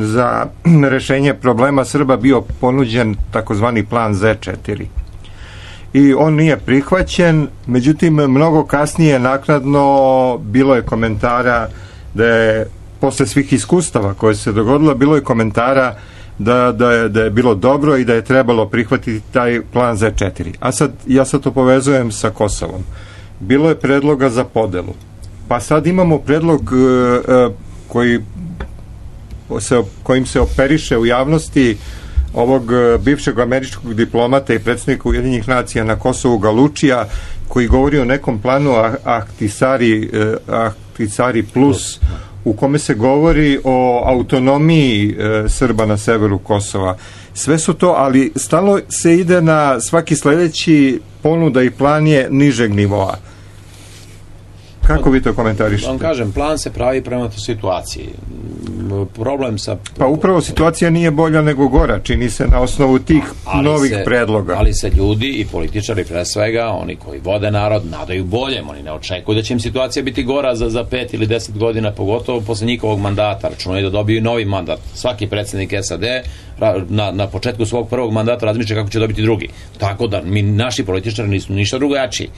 za rešenje problema Srba bio ponuđen takozvani plan zet četiri. I on nije prihvaćen, međutim, mnogo kasnije naknadno bilo je komentara da je, posle svih iskustava koje se dogodilo, bilo je komentara da, da, je, da je bilo dobro i da je trebalo prihvatiti taj plan zet četiri. A sad, ja sad to povezujem sa Kosovom. Bilo je predloga za podelu. Pa sad imamo predlog uh, koji se, kojim se operiše u javnosti ovog bivšeg američkog diplomata i predsjednika Ujedinjenih nacija na Kosovu Galučija, koji govori o nekom planu Ahtisari, Ahtisari plus, u kome se govori o autonomiji Srba na severu Kosova. Sve su to, ali stalno se ide na svaki sledeći ponuda i plan je nižeg nivoa. Kako vi to komentarišete? Vam kažem, plan se pravi prema toj situaciji. Problem sa... Pa upravo situacija nije bolja nego gora, čini se na osnovu tih ali novih se, predloga. Ali se ljudi i političari, pre svega, oni koji vode narod, nadaju boljem. Oni ne očekuju da će im situacija biti gora za, za pet ili deset godina, pogotovo posle njihovog mandata. Računaju da dobiju novi mandat. Svaki predsjednik es a de na, na početku svog prvog mandata razmišlja kako će dobiti drugi. Tako da mi, naši političari nisu ništa drugačiji.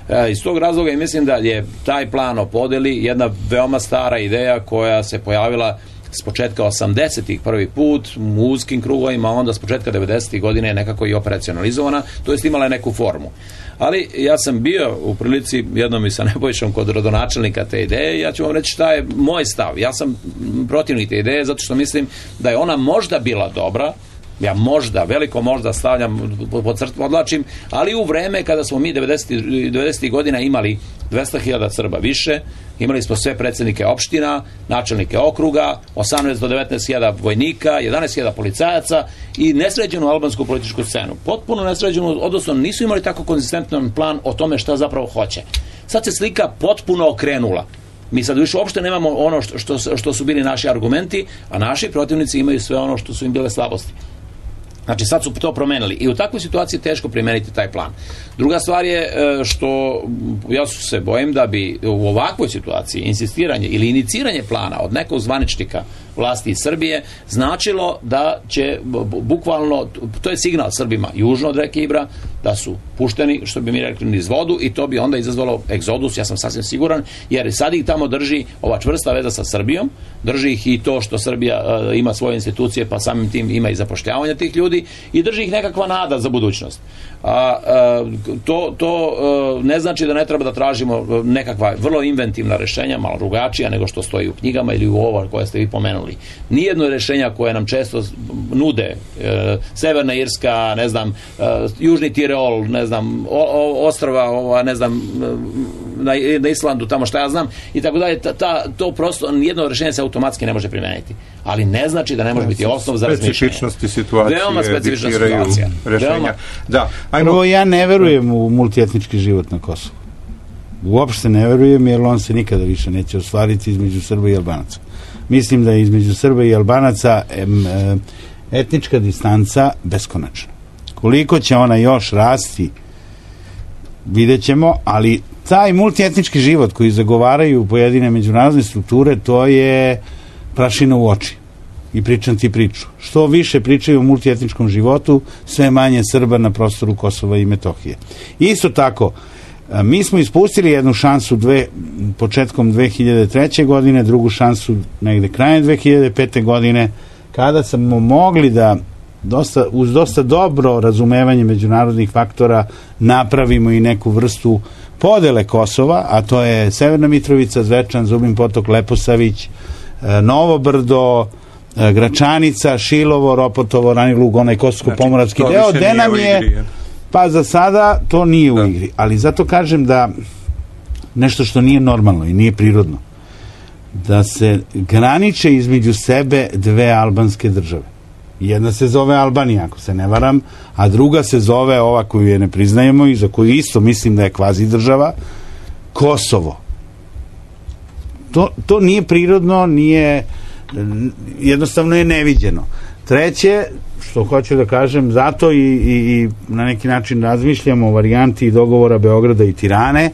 E, iz tog razloga i mislim da je taj plan o podeli jedna veoma stara ideja koja se pojavila s početka osamdesetih prvi put u uskim krugovima, onda s početka devedesetih godine je nekako i operacionalizovana, to jest imala je neku formu. Ali ja sam bio u prilici jednom i sa Nebojšom kod rodonačelnika te ideje i ja ću vam reći šta je moj stav. Ja sam protivnik te ideje zato što mislim da je ona možda bila dobra, ja možda, veliko možda stavljam pod crtu, odlačim, ali u vreme kada smo mi devedesetih godina imali dvesta hiljada Srba više, imali smo sve predsjednike opština, načelnike okruga, osamnaest do devetnaest hiljada vojnika, jedanaest hiljada policajaca i nesređenu albansku političku scenu. Potpuno nesređenu, odnosno nisu imali tako konzistentan plan o tome šta zapravo hoće. Sad se slika potpuno okrenula. Mi sad više uopšte nemamo ono što, što, što su bili naši argumenti, a naši protivnici imaju sve ono što su im bile slabosti. Znači sad su to promenili i u takvoj situaciji teško primeniti taj plan. Druga stvar je što ja su se bojim da bi u ovakvoj situaciji insistiranje ili iniciranje plana od nekog zvaničnika vlasti iz Srbije, značilo da će bukvalno, to je signal Srbima južno od reke Ibra, da su pušteni, što bi mi rekli, niz vodu, i to bi onda izazvalo egzodus, ja sam sasvim siguran, jer sad ih tamo drži ova čvrsta veza sa Srbijom, drži ih i to što Srbija uh, ima svoje institucije, pa samim tim ima i zapošljavanja tih ljudi, i drži ih nekakva nada za budućnost. A, a, to, to a, ne znači da ne treba da tražimo nekakva vrlo inventivna rešenja, malo drugačija nego što stoji u knjigama ili u ovo koje ste vi pomenuli. Nijedno rešenja koje nam često nude e, Severna Irska, ne znam, e, Južni Tirol, ne znam, o, o, ostrava, ova, ne znam, na, na Islandu, tamo šta ja znam, i tako dalje, ta, ta, to prosto, nijedno rešenje se automatski ne može primeniti. Ali ne znači da ne može biti osnov za razmišljanje. Specifičnosti situacije. Veoma specifična situacija. Veoma. Da. Ajmo. Prvo, ja ne verujem u multietnički život na Kosovu. Uopšte ne verujem, jer on se nikada više neće ostvariti između Srba i Albanaca. Mislim da je između Srba i Albanaca em, em, etnička distanca beskonačna. Koliko će ona još rasti, vidjet ćemo, ali taj multietnički život koji zagovaraju pojedine međunarodne strukture, to je prašina u oči. I pričam ti priču. Što više pričaju o multietničkom životu, sve manje Srba na prostoru Kosova i Metohije. Isto tako, mi smo ispustili jednu šansu dve, početkom dve hiljade treće. godine, drugu šansu negde krajem dve hiljade pete. godine, kada smo mogli da dosta, uz dosta dobro razumevanje međunarodnih faktora napravimo i neku vrstu podele Kosova, a to je Severna Mitrovica, Zvečan, Zubin Potok, Leposavić, Novo Brdo, Gračanica, Šilovo, Ropotovo, Rani Lug, onaj Kosovsko-pomoravski znači, deo, gde nam je igri, pa za sada to nije da. u igri, ali zato kažem da nešto što nije normalno i nije prirodno, da se graniče između sebe dve albanske države. Jedna se zove Albanija, ako se ne varam, a druga se zove, ova koju je ne priznajemo i za koju isto mislim da je kvazi država, Kosovo. To, to nije prirodno, nije, jednostavno je neviđeno. Treće, što hoću da kažem, zato i, i, i na neki način razmišljamo o varijanti dogovora Beograda i Tirane,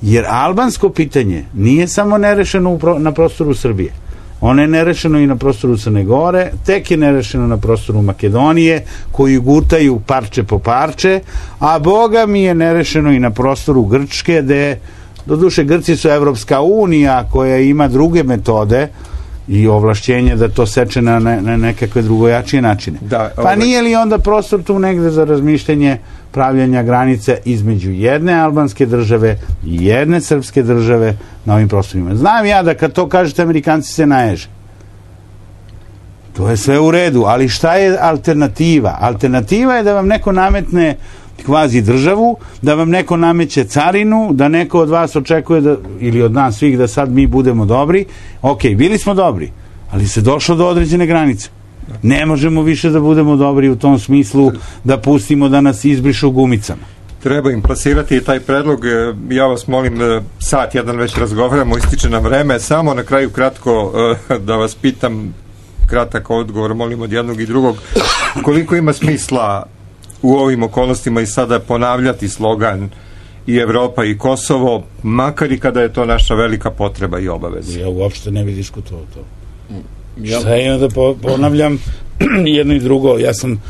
jer albansko pitanje nije samo nerešeno u pro, na prostoru Srbije. Ono je nerešeno i na prostoru Crne Gore, tek je nerešeno na prostoru Makedonije, koji gutaju parče po parče, a Boga mi je nerešeno i na prostoru Grčke, gde, doduše, Grci su Evropska unija koja ima druge metode i ovlašćenje da to seče na, ne, na nekakve drugojačije načine. Da, pa ovaj... nije li onda prostor tu negde za razmišljanje pravljanja granice između jedne albanske države i jedne srpske države na ovim prostorima? Znam ja da kad to kažete, Amerikanci se naježe. To je sve u redu, ali šta je alternativa? Alternativa je da vam neko nametne kvazi državu, da vam neko nameće carinu, da neko od vas očekuje da, ili od nas svih, da sad mi budemo dobri. Ok, bili smo dobri, ali se došlo do određene granice. Ne možemo više da budemo dobri u tom smislu da pustimo da nas izbrišu gumicama. Treba im plasirati taj predlog. Ja vas molim, sat jedan već razgovaramo, ističe nam vreme. Samo na kraju kratko da vas pitam, kratak odgovor, molim od jednog i drugog, koliko ima smisla u ovim okolnostima i sada ponavljati slogan i Evropa i Kosovo, makar i kada je to naša velika potreba i obaveza? Ja uopšte ne bi diskutovao to. Ja. Šta je da po, ponavljam jedno i drugo? Ja sam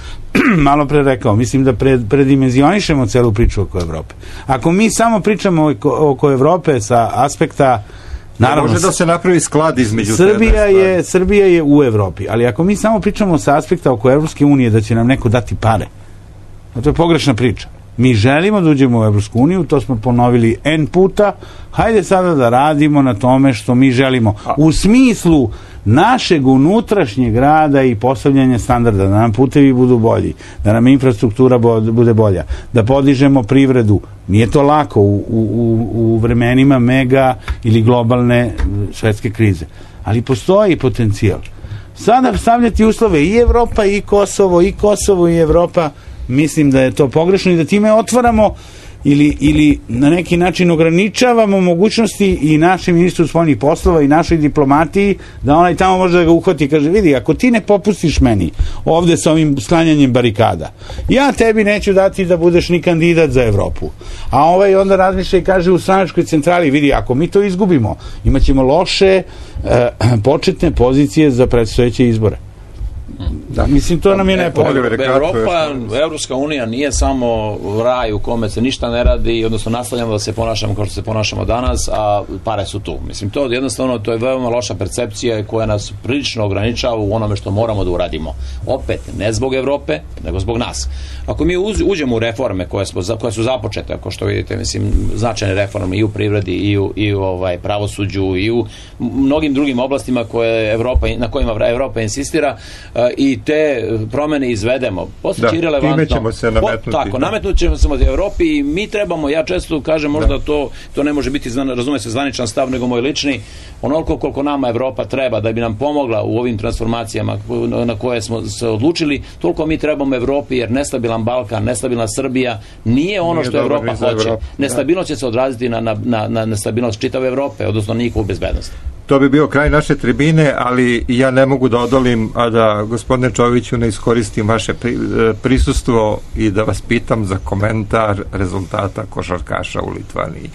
malo pre rekao, mislim da pred, predimenzionišemo celu priču oko Evrope. Ako mi samo pričamo oko, oko Evrope sa aspekta, naravno, može da se napravi sklad između Srbija je, Srbija je u Evropi, ali ako mi samo pričamo sa aspekta oko Evropske unije da će nam neko dati pare, to je pogrešna priča. Mi želimo da uđemo u Evropsku uniju, to smo ponovili N puta, hajde sada da radimo na tome što mi želimo. U smislu našeg unutrašnjeg rada i postavljanja standarda, da nam putevi budu bolji, da nam infrastruktura bude bolja, da podižemo privredu. Nije to lako u, u, u vremenima mega ili globalne svetske krize. Ali postoji potencijal. Sada stavljati uslove i Evropa i Kosovo, i Kosovo i Evropa, mislim da je to pogrešno i da time otvaramo ili, ili na neki način ograničavamo mogućnosti i našem ministru spoljnih poslova i našoj diplomatiji da onaj tamo može da ga uhvati i kaže, vidi, ako ti ne popustiš meni ovde sa ovim sklanjanjem barikada, ja tebi neću dati da budeš ni kandidat za Evropu. A ovaj onda razmišlja i kaže u stranačkoj centrali, vidi, ako mi to izgubimo, imat ćemo loše e, početne pozicije za predstojeće izbore. Da, mislim, to nam je nepovoljno. Evropa, Evropska unija nije samo raj u kome se ništa ne radi, odnosno nastavljamo da se ponašamo kao što se ponašamo danas, a pare su tu. Mislim, to jednostavno, to je veoma loša percepcija koja nas prilično ograničava u onome što moramo da uradimo. Opet, ne zbog Evrope, nego zbog nas. Ako mi uđemo u reforme koje, smo, koje su započete, ako što vidite, mislim, značajne reforme i u privredi, i u, i u ovaj, pravosuđu, i u mnogim drugim oblastima koje Evropa, na kojima Evropa insistira, i te promene izvedemo. Postaće irelevantno. Time ćemo se nametnuti. Po, tako, nametnut ćemo se u Evropi i mi trebamo, ja često kažem, možda da. to, to ne može biti, razume se, zvaničan stav, nego moj lični, onoliko koliko nama Evropa treba da bi nam pomogla u ovim transformacijama na koje smo se odlučili, toliko mi trebamo Evropi, jer nestabilan Balkan, nestabilna Srbija nije ono nije što Evropa hoće. Evropa. Nestabilnost će se odraziti na, na, na, na nestabilnost čitave Evrope, odnosno njihovu bezbednost. To bi bio kraj naše tribine, ali ja ne mogu da odolim, a da, gospodine Čoviću, ne iskoristim vaše prisustvo i da vas pitam za komentar rezultata košarkaša u Litvaniji.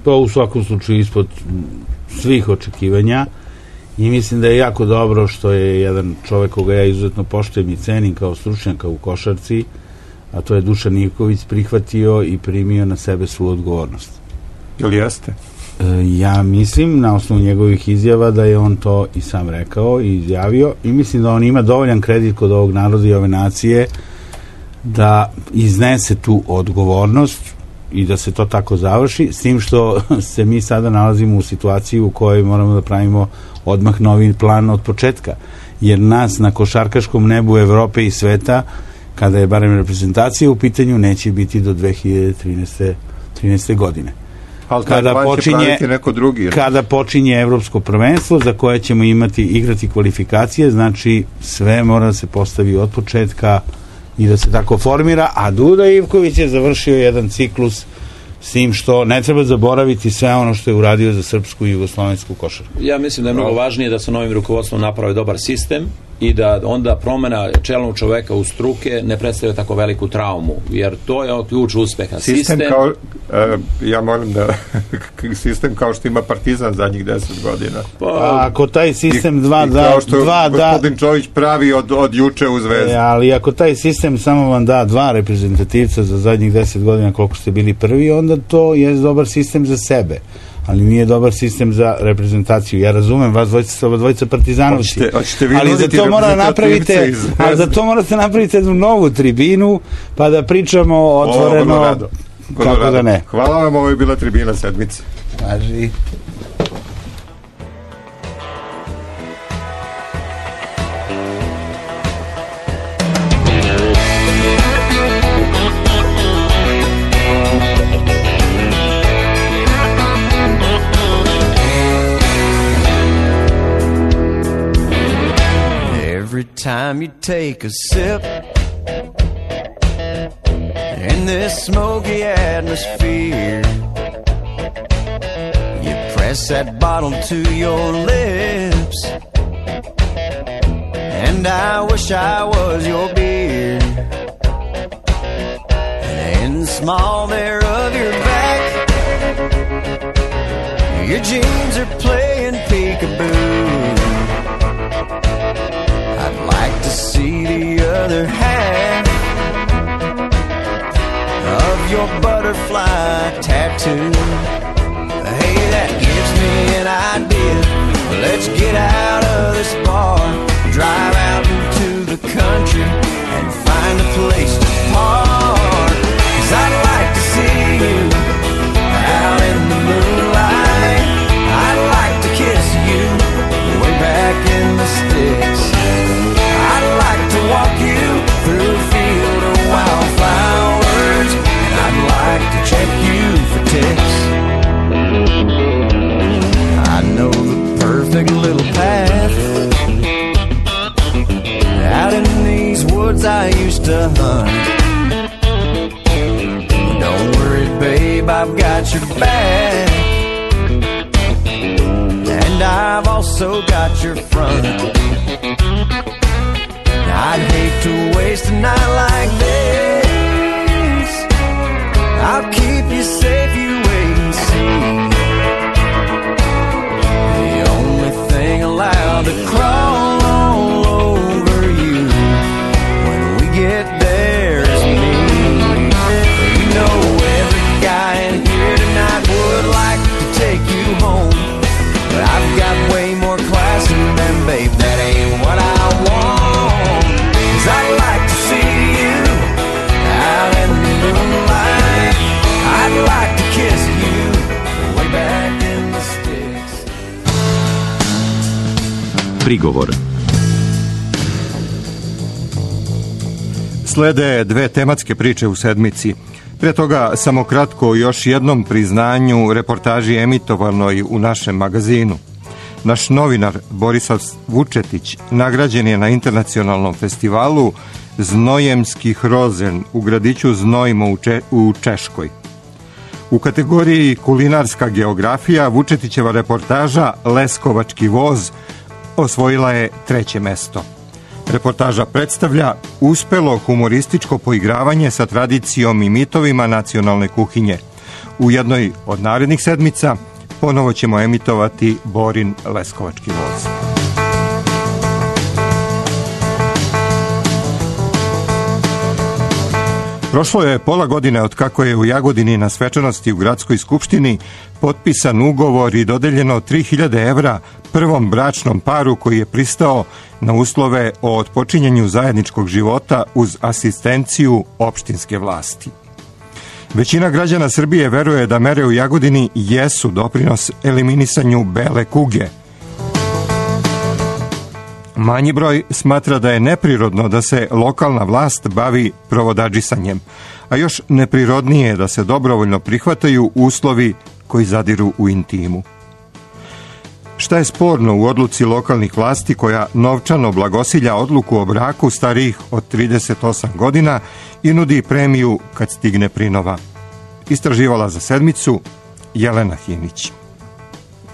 To u svakom slučaju ispod svih očekivanja i mislim da je jako dobro što je jedan čovek koga ja izuzetno poštujem i cenim kao stručnjaka u košarci, a to je Dušan Ivković, prihvatio i primio na sebe svu odgovornost. Ili jeste? Ja mislim, na osnovu njegovih izjava, da je on to i sam rekao i izjavio i mislim da on ima dovoljan kredit kod ovog naroda i ove nacije da iznese tu odgovornost i da se to tako završi, s tim što se mi sada nalazimo u situaciji u kojoj moramo da pravimo odmah novi plan od početka, jer nas na košarkaškom nebu Evrope i sveta, kada je barem reprezentacija u pitanju, neće biti do dve hiljade trinaeste godine. Kada počinje, neko drugi, kada počinje evropsko prvenstvo za koje ćemo imati igrati kvalifikacije, znači sve mora da se postavi od početka i da se tako formira, a Duda Ivković je završio jedan ciklus s tim što ne treba zaboraviti sve ono što je uradio za srpsku i jugoslovensku košarku. Ja mislim da je mnogo važnije da sa novim rukovodstvom napravi dobar sistem i da onda promena čelnog čoveka u struke ne predstavlja tako veliku traumu, jer to je ključ uspeha. Sistem, sistem kao, uh, ja molim da sistem kao što ima Partizan zadnjih deset godina. Pa, ako taj sistem dva i, da... I kao što dva, gospodin da, Čović pravi od, od juče u Zvezdi. E, ali ako taj sistem samo vam da dva reprezentativca za zadnjih deset godina koliko ste bili prvi, onda to je dobar sistem za sebe, ali nije dobar sistem za reprezentaciju. Ja razumem, vas dvojica, dvojica partizanovci, hoćete, hoćete ali za to mora napravite, ali za to morate napraviti jednu novu tribinu, pa da pričamo otvoreno, o, rado, kako rado. Da ne. Hvala vam, ovo je bila tribina sedmice. Važi. Time you take a sip in this smoky atmosphere, you press that bottle to your lips, and I wish I was your beer. And in the small there of your back, your jeans are playing peekaboo. I'd like to see the other half of your butterfly tattoo. Hey, that gives me an idea. Let's get out of this bar, drive out into the country and find a place to park. 'Cause I'd like to see you out in the moonlight. I'd like to kiss you way back in the sticks. I'd like to walk you through a field of wildflowers, and I'd like to check you for ticks. I know the perfect little path out in these woods I used to hunt. Don't worry, baby, I've got your back, and I've also got your front. I'd hate to waste a night like this. I'll keep you safe, you wait and see. The only thing allowed to crawl all over you when we get there is me. You know every guy in here tonight would like to take you home, but I've got way more class than them, babe, that ain't what I want. 'Cause I'd like to see you out in the moonlight. I'd like to kiss you way back in the sticks. Prigovor. Slede dve tematske priče u sedmici. Pre toga samo kratko o još jednom priznanju reportaži emitovanoj u našem magazinu. Naš novinar Borisav Vučetić nagrađen je na internacionalnom festivalu Znojemskih rozen u gradiću Znojmo u, Če- u Češkoj. U kategoriji kulinarska geografija Vučetićeva reportaža Leskovački voz osvojila je treće mesto. Reportaža predstavlja uspelo humorističko poigravanje sa tradicijom i mitovima nacionalne kuhinje. U jednoj od narednih sedmica ponovo ćemo emitovati Borin Leskovački voz. Prošlo je pola godine od kako je u Jagodini na svečanosti u Gradskoj skupštini potpisan ugovor i dodeljeno tri hiljade evra prvom bračnom paru koji je pristao na uslove o otpočinjanju zajedničkog života uz asistenciju opštinske vlasti. Većina građana Srbije veruje da mere u Jagodini jesu doprinos eliminisanju bele kuge. Manji broj smatra da je neprirodno da se lokalna vlast bavi provodadžisanjem, a još neprirodnije je da se dobrovoljno prihvataju uslovi koji zadiru u intimu. Šta je sporno u odluci lokalnih vlasti koja novčano blagosilja odluku o braku starijih od trideset osam godina i nudi premiju kad stigne prinova? Istraživala za sedmicu Jelena Hinić.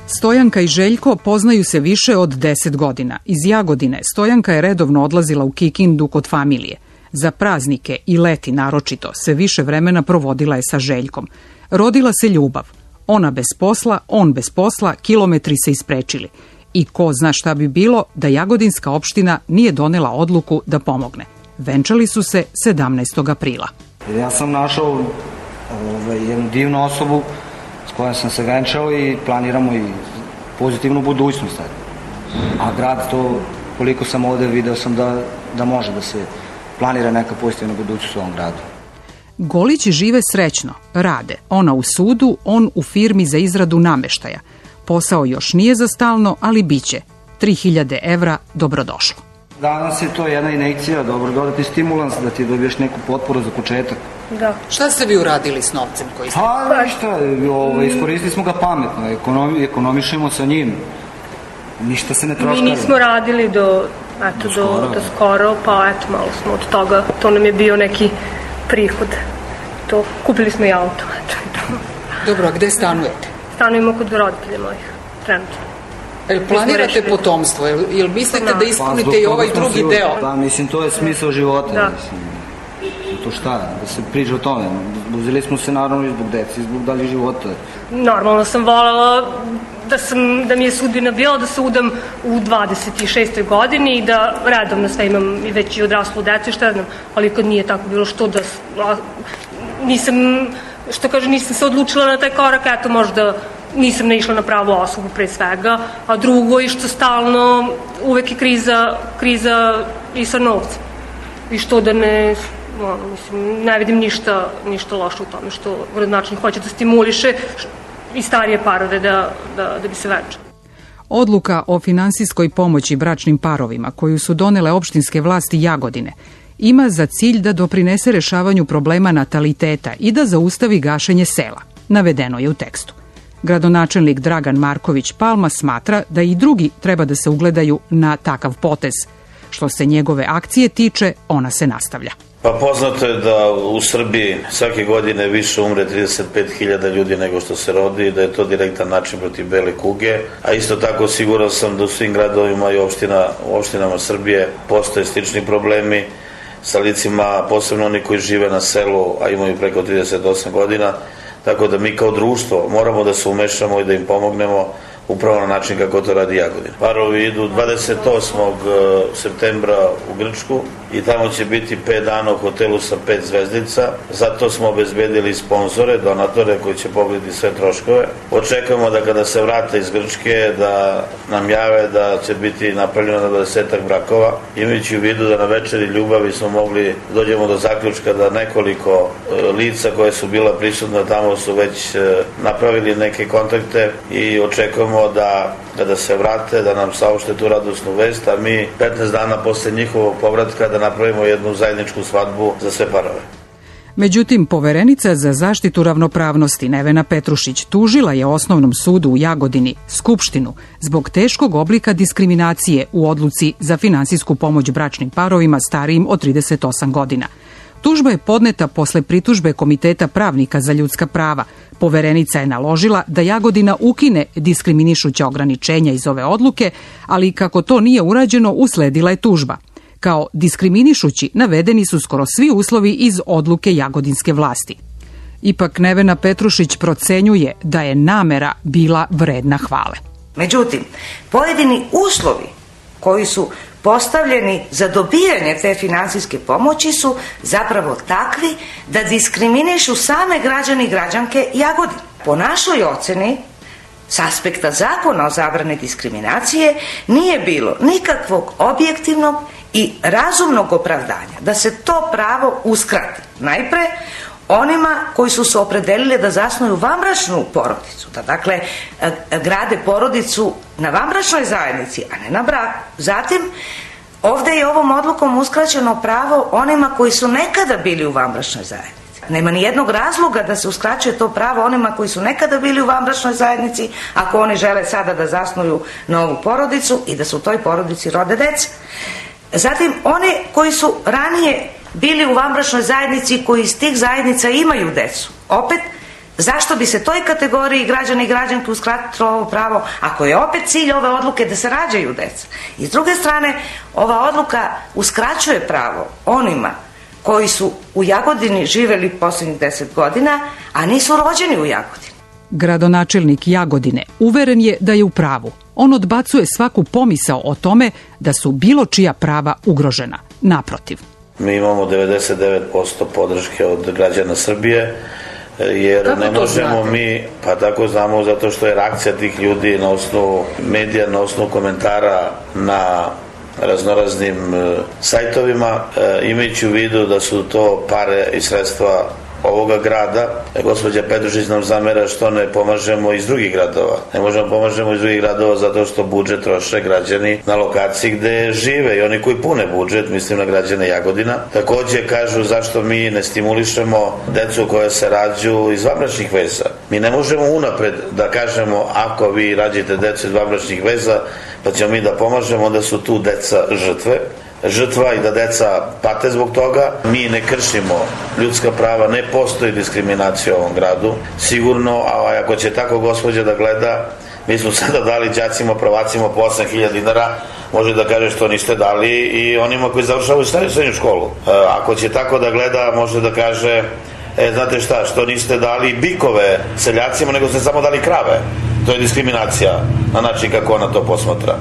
Stojanka i Željko poznaju se više od deset godina. Iz Jagodine Stojanka je redovno odlazila u Kikindu kod familije. Za praznike i leti naročito se više vremena provodila je sa Željkom. Rodila se ljubav. Ona bez posla, on bez posla, kilometri se isprečili. I ko zna šta bi bilo da Jagodinska opština nije donela odluku da pomogne. Venčali su se sedamnaestog aprila. Ja sam našao ovaj, jednu divnu osobu s kojom sam se venčao i planiramo i pozitivnu budućnost. A grad to, koliko sam ovde video sam da, da može da se planira neka pozitivna budućnost u ovom gradu. Golići žive srećno, rade. Ona u sudu, on u firmi za izradu nameštaja. Posao još nije za stalno, ali biće. tri hiljade evra dobrodošlo. Danas je to jedna injekcija, dobro dodati stimulans da ti dobiješ neku potporu za početak. Da. Šta ste vi uradili s novcem koji ste? Pa ništa, ovaj, iskoristili smo ga pametno, ekonomi, ekonomišemo sa njim. Ništa se ne troška. Mi nismo radili do, eto, do, skoro. do, do skoro, pa eto, malo smo od toga, to nam je bio neki prihod. To, kupili smo i auto, eto. Dobro, a gde stanujete? Stanujemo kod roditelja mojih, trenutno. Jel planirate potomstvo? Jel, jel mislite da, da ispunite pa, i ovaj drugi život, deo? Da, mislim, to je smisao života. Da. Mislim, to šta, da se priča o tome. Uzeli smo se naravno i zbog deci, i zbog dalje života. Normalno sam voljela da, sam, da mi je sudbina bila da se udam u dvadeset šestoj godini i da redovno sve imam i već i odraslu decu i šta znam, ali kad nije tako bilo što da a, nisam, što kaže, nisam se odlučila na taj korak, eto možda nisam naišla na pravu osobu pre svega, a drugo i što stalno uvek je kriza, kriza i sa novcem. I što da ne, ono, mislim, ne vidim ništa, ništa loše u tome što gradonačelnik hoće da stimuliše i starije parove da, da, da bi se venčali. Odluka o finansijskoj pomoći bračnim parovima koju su donele opštinske vlasti Jagodine ima za cilj da doprinese rešavanju problema nataliteta i da zaustavi gašenje sela. Navedeno je u tekstu. Gradonačelnik Dragan Marković Palma smatra da i drugi treba da se ugledaju na takav potez. Što se njegove akcije tiče, ona se nastavlja. Pa poznato je da u Srbiji svake godine više umre trideset pet hiljada ljudi nego što se rodi i da je to direktan način protiv bele kuge, a isto tako siguran sam da u svim gradovima i opština, u opštinama Srbije postoje slični problemi sa licima, posebno oni koji žive na selu, a imaju preko trideset osam godina, tako da mi kao društvo moramo da se umešamo i da im pomognemo upravo na način kako to radi Jagodina. Parovi idu dvadeset osmog septembra u Grčku i tamo će biti pet dana u hotelu sa pet zvezdica. Zato smo obezbedili sponzore, donatore koji će pokriti sve troškove. Očekujemo da kada se vrate iz Grčke da nam jave da će biti napravljeno na dvadesetak brakova. Imajući u vidu da na večeri ljubavi smo mogli dođemo do zaključka da nekoliko lica koje su bila prisutna tamo su već napravili neke kontakte i očekujemo da kada se vrate da nam saopšte tu radosnu vest, a mi petnaest dana posle njihovog povratka da napravimo jednu zajedničku svadbu za sve parove. Međutim, poverenica za zaštitu ravnopravnosti Nevena Petrušić tužila je Osnovnom sudu u Jagodini, Skupštinu, zbog teškog oblika diskriminacije u odluci za finansijsku pomoć bračnim parovima starijim od trideset osam godina. Tužba je podneta posle pritužbe Komiteta pravnika za ljudska prava. Poverenica je naložila da Jagodina ukine diskriminišuća ograničenja iz ove odluke, ali kako to nije urađeno, usledila je tužba. Kao diskriminišući navedeni su skoro svi uslovi iz odluke jagodinske vlasti. Ipak Nevena Petrušić procenjuje da je namera bila vredna hvale. Međutim, pojedini uslovi koji su postavljeni za dobijanje te finansijske pomoći su zapravo takvi da diskriminišu same građani i građanke Jagodine. Po našoj oceni, s aspekta zakona o zabrani diskriminacije, nije bilo nikakvog objektivnog i razumnog opravdanja da se to pravo uskrati. Najpre, onima koji su se opredelili da zasnuju vanbračnu porodicu, da dakle grade porodicu na vanbračnoj zajednici, a ne na braku. Zatim, ovde je ovom odlukom uskraćeno pravo onima koji su nekada bili u vanbračnoj zajednici. Nema ni jednog razloga da se uskraćuje to pravo onima koji su nekada bili u vanbračnoj zajednici, ako oni žele sada da zasnuju novu porodicu i da su u toj porodici rode deca. Zatim, one koji su ranije bili u vanbračnoj zajednici koji iz tih zajednica imaju decu. Opet, zašto bi se toj kategoriji građana i građanke uskratilo ovo pravo, ako je opet cilj ove odluke da se rađaju deca? I s druge strane, ova odluka uskraćuje pravo onima koji su u Jagodini živeli posljednjih deset godina, a nisu rođeni u Jagodini. Gradonačelnik Jagodine uveren je da je u pravu. On odbacuje svaku pomisao o tome da su bilo čija prava ugrožena. Naprotiv. Mi imamo devedeset devet posto podrške od građana Srbije, jer kako ne možemo znate? Mi, pa tako znamo zato što je reakcija tih ljudi na osnovu medija, na osnovu komentara na raznoraznim sajtovima, imajući u vidu da su to pare i sredstva ovoga grada. Gospođa Petrušić nam zamera što ne pomažemo iz drugih gradova. Ne možemo pomažemo iz drugih gradova zato što budžet troše građani na lokaciji gde žive i oni koji pune budžet, mislim na građane Jagodina. Takođe kažu zašto mi ne stimulišemo decu koja se rađu iz vanbračnih veza. Mi ne možemo unapred da kažemo ako vi rađite decu iz vanbračnih veza pa ćemo mi da pomažemo, onda su tu deca žrtve. žrtva i da deca pate zbog toga. Mi ne kršimo ljudska prava, ne postoji diskriminacija u ovom gradu. Sigurno, a ako će tako gospođa da gleda, mi smo sada dali đacima, prvacima po osam hiljada dinara, može da kaže što niste dali i onima koji završavaju srednju školu. Ako će tako da gleda, može da kaže, e, znate šta, što niste dali bikove seljacima, nego ste samo dali krave. To je diskriminacija na način kako ona to posmatra.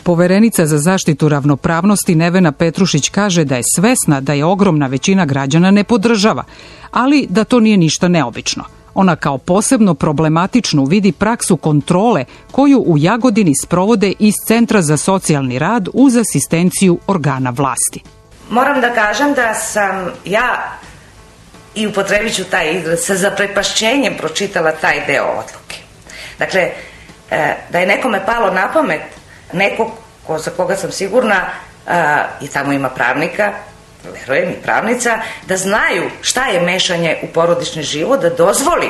Poverenica za zaštitu ravnopravnosti Nevena Petrušić kaže da je svesna da je ogromna većina građana ne podržava, ali da to nije ništa neobično. Ona kao posebno problematičnu vidi praksu kontrole koju u Jagodini sprovode iz Centra za socijalni rad uz asistenciju organa vlasti. Moram da kažem da sam ja, i upotrebit ću taj izraz, sa zaprepašćenjem pročitala taj deo odluke. Dakle, da je nekome palo na pamet, neko ko, za koga sam sigurna, a, i tamo ima pravnika, verujem i pravnica, da znaju šta je mešanje u porodični život, da dozvoli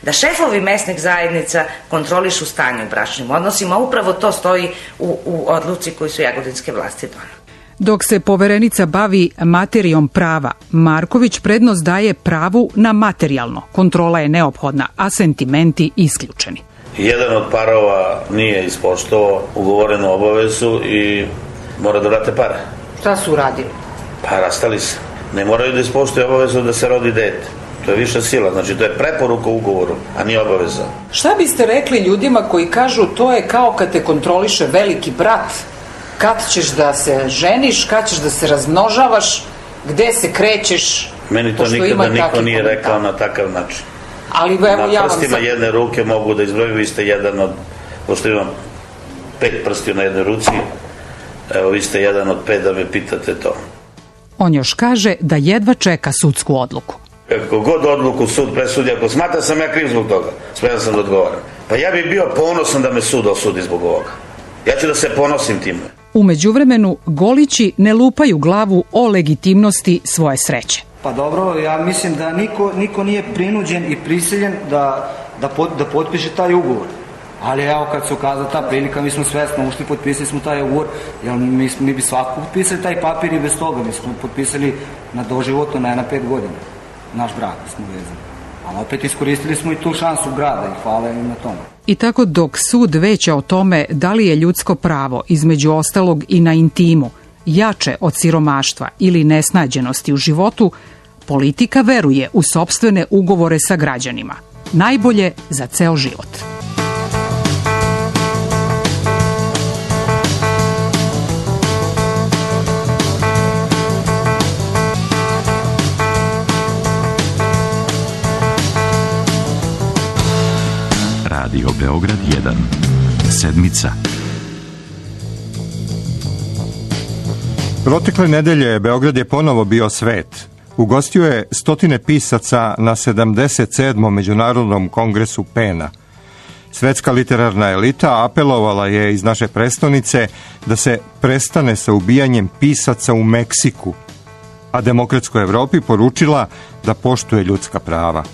da šefovi mesnih zajednica kontrolišu stanje u bračnim odnosima. Upravo to stoji u, u odluci koju su jagodinske vlasti donale. Dok se Poverenica bavi materijom prava, Marković prednost daje pravu na materijalno. Kontrola je neophodna, a sentimenti isključeni. Jedan od parova nije ispoštovao ugovorenu obavezu i mora da vrate pare. Šta su uradili? Pa rastali se. Ne moraju da ispoštuju obavezu da se rodi dete. To je viša sila, znači to je preporuka u ugovoru, a nije obaveza. Šta biste rekli ljudima koji kažu to je kao kad te kontroliše veliki brat? Kad ćeš da se ženiš, kad ćeš da se razmnožavaš, gde se krećeš? Meni to nikada niko nije rekao na takav način. Ali evo ja vam na prstima jedne ruke mogu da izbrojim, vi ste jedan od, pošto imam pet prstiju na jednoj ruci, evo vi ste jedan od pet da me pitate to. On još kaže da jedva čeka sudsku odluku. Kako god odluku sud presudi, ako smatra sam ja kriv zbog toga, spreman sam da odgovaram. Pa ja bih bio ponosan da me sud osudi zbog ovoga. Ja ću da se ponosim time. U međuvremenu, Golići ne lupaju glavu o legitimnosti svoje sreće. Pa dobro, ja mislim da niko, niko nije prinuđen i prisiljen da, da, pot, da potpiše taj ugovor. Ali evo kad se ukazala ta prilika, mi smo svesno ušli, potpisali smo taj ugovor, jer mi, mi bi svako potpisali taj papir i bez toga. Mi smo potpisali na doživotno, ne na pet godina. Naš brak smo vezani. Ali opet iskoristili smo i tu šansu grada i hvala im na tome. I tako dok sud veća o tome da li je ljudsko pravo, između ostalog i na intimu, jače od siromaštva ili nesnađenosti u životu, politika veruje u sopstvene ugovore sa građanima. Najbolje za ceo život. Radio Beograd jedan. Sedmica. Protekle nedelje Beograd je ponovo bio svet. Ugostio je stotine pisaca na sedamdeset sedmom Međunarodnom kongresu pena. Svetska literarna elita apelovala je iz naše prestonice da se prestane sa ubijanjem pisaca u Meksiku, a demokratskoj Evropi poručila da poštuje ljudska prava.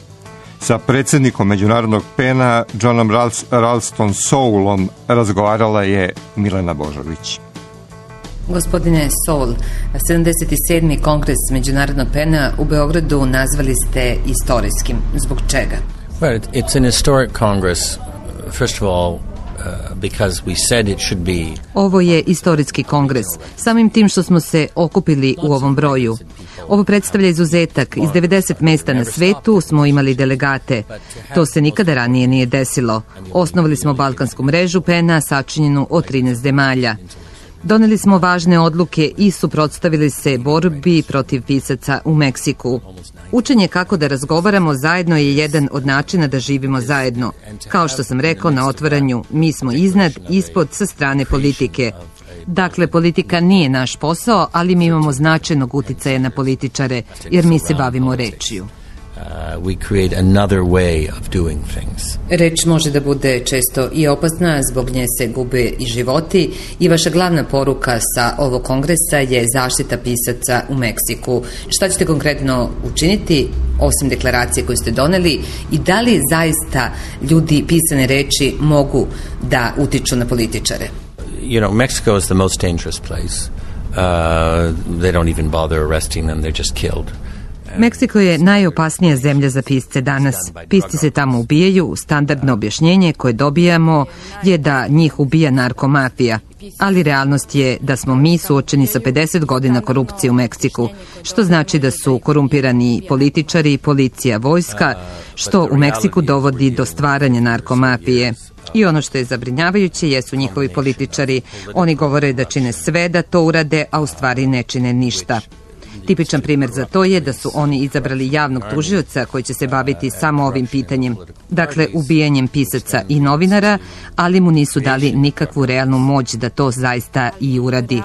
Sa predsjednikom Međunarodnog pena, Johnom Ralston Soulom, razgovarala je Milena Božović. Gospodine Soul, sedamdeset sedmi kongres Međunarodnog pena u Beogradu nazvali ste istorijskim. Zbog čega? Well, it's an historic congress, first of all, Uh, because we said it should be. Ovo je istorijski kongres, samim tim što smo se okupili u ovom broju. Ovo predstavlja izuzetak. Iz devedeset mesta na svetu smo imali delegate. To se nikada ranije nije desilo. Osnovali smo balkansku mrežu pena sačinjenu od trinaest zemalja. Doneli smo važne odluke i suprotstavili se borbi protiv pisaca u Meksiku. Učenje kako da razgovaramo zajedno je jedan od načina da živimo zajedno. Kao što sam rekao na otvaranju, mi smo iznad, ispod, sa strane politike. Dakle, politika nije naš posao, ali mi imamo značajnog uticaja na političare, jer mi se bavimo rečju. Uh, we create another way of doing things. Reč može da bude često i opasna, zbog nje se gube i životi i vaša glavna poruka sa ovog kongresa je zaštita pisaca u Meksiku. Šta ćete konkretno učiniti, osim deklaracije koju ste doneli, i da li zaista ljudi pisane reči mogu da utiču na političare? You know, Mexico is the most dangerous place. Uh, they don't even bother arresting them, they're just killed. Meksiko je najopasnija zemlja za pisce danas. Pisci se tamo ubijaju, standardno objašnjenje koje dobijamo je da njih ubija narkomafija. Ali realnost je da smo mi suočeni sa pedeset godina korupcije u Meksiku, što znači da su korumpirani političari, policija, vojska, što u Meksiku dovodi do stvaranja narkomafije. I ono što je zabrinjavajuće jesu njihovi političari. Oni govore da čine sve da to urade, a u stvari ne čine ništa. Tipičan primjer za to je da su oni izabrali javnog tužioca koji će se baviti samo ovim pitanjem, dakle ubijanjem pisaca i novinara, ali mu nisu dali nikakvu realnu moć da to zaista i uradi.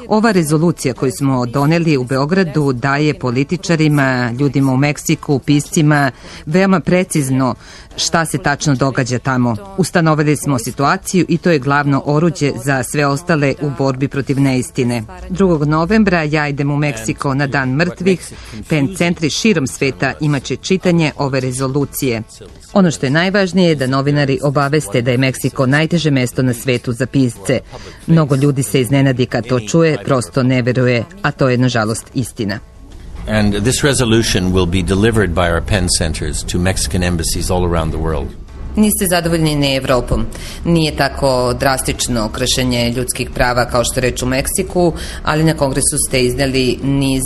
Ova rezolucija koju smo doneli u Beogradu daje političarima, ljudima u Meksiku, piscima, veoma precizno šta se tačno događa tamo. Ustanovili smo situaciju i to je glavno oruđe za sve ostale u borbi protiv neistine. drugog novembra ja idem u Meksiko na na Dan mrtvih, pen centri širom sveta imaće čitanje ove rezolucije. Ono što je najvažnije je da novinari obaveste da je Meksiko najteže mesto na svetu za pisce. Mnogo ljudi se iznenadi kad to čuje, prosto ne veruje, a to je nažalost istina. And this resolution will be delivered by our pen centers to Mexican embassies all around the world. Niste zadovoljni ni Evropom. Nije tako drastično kršenje ljudskih prava kao što reč u Meksiku, ali na kongresu ste izneli niz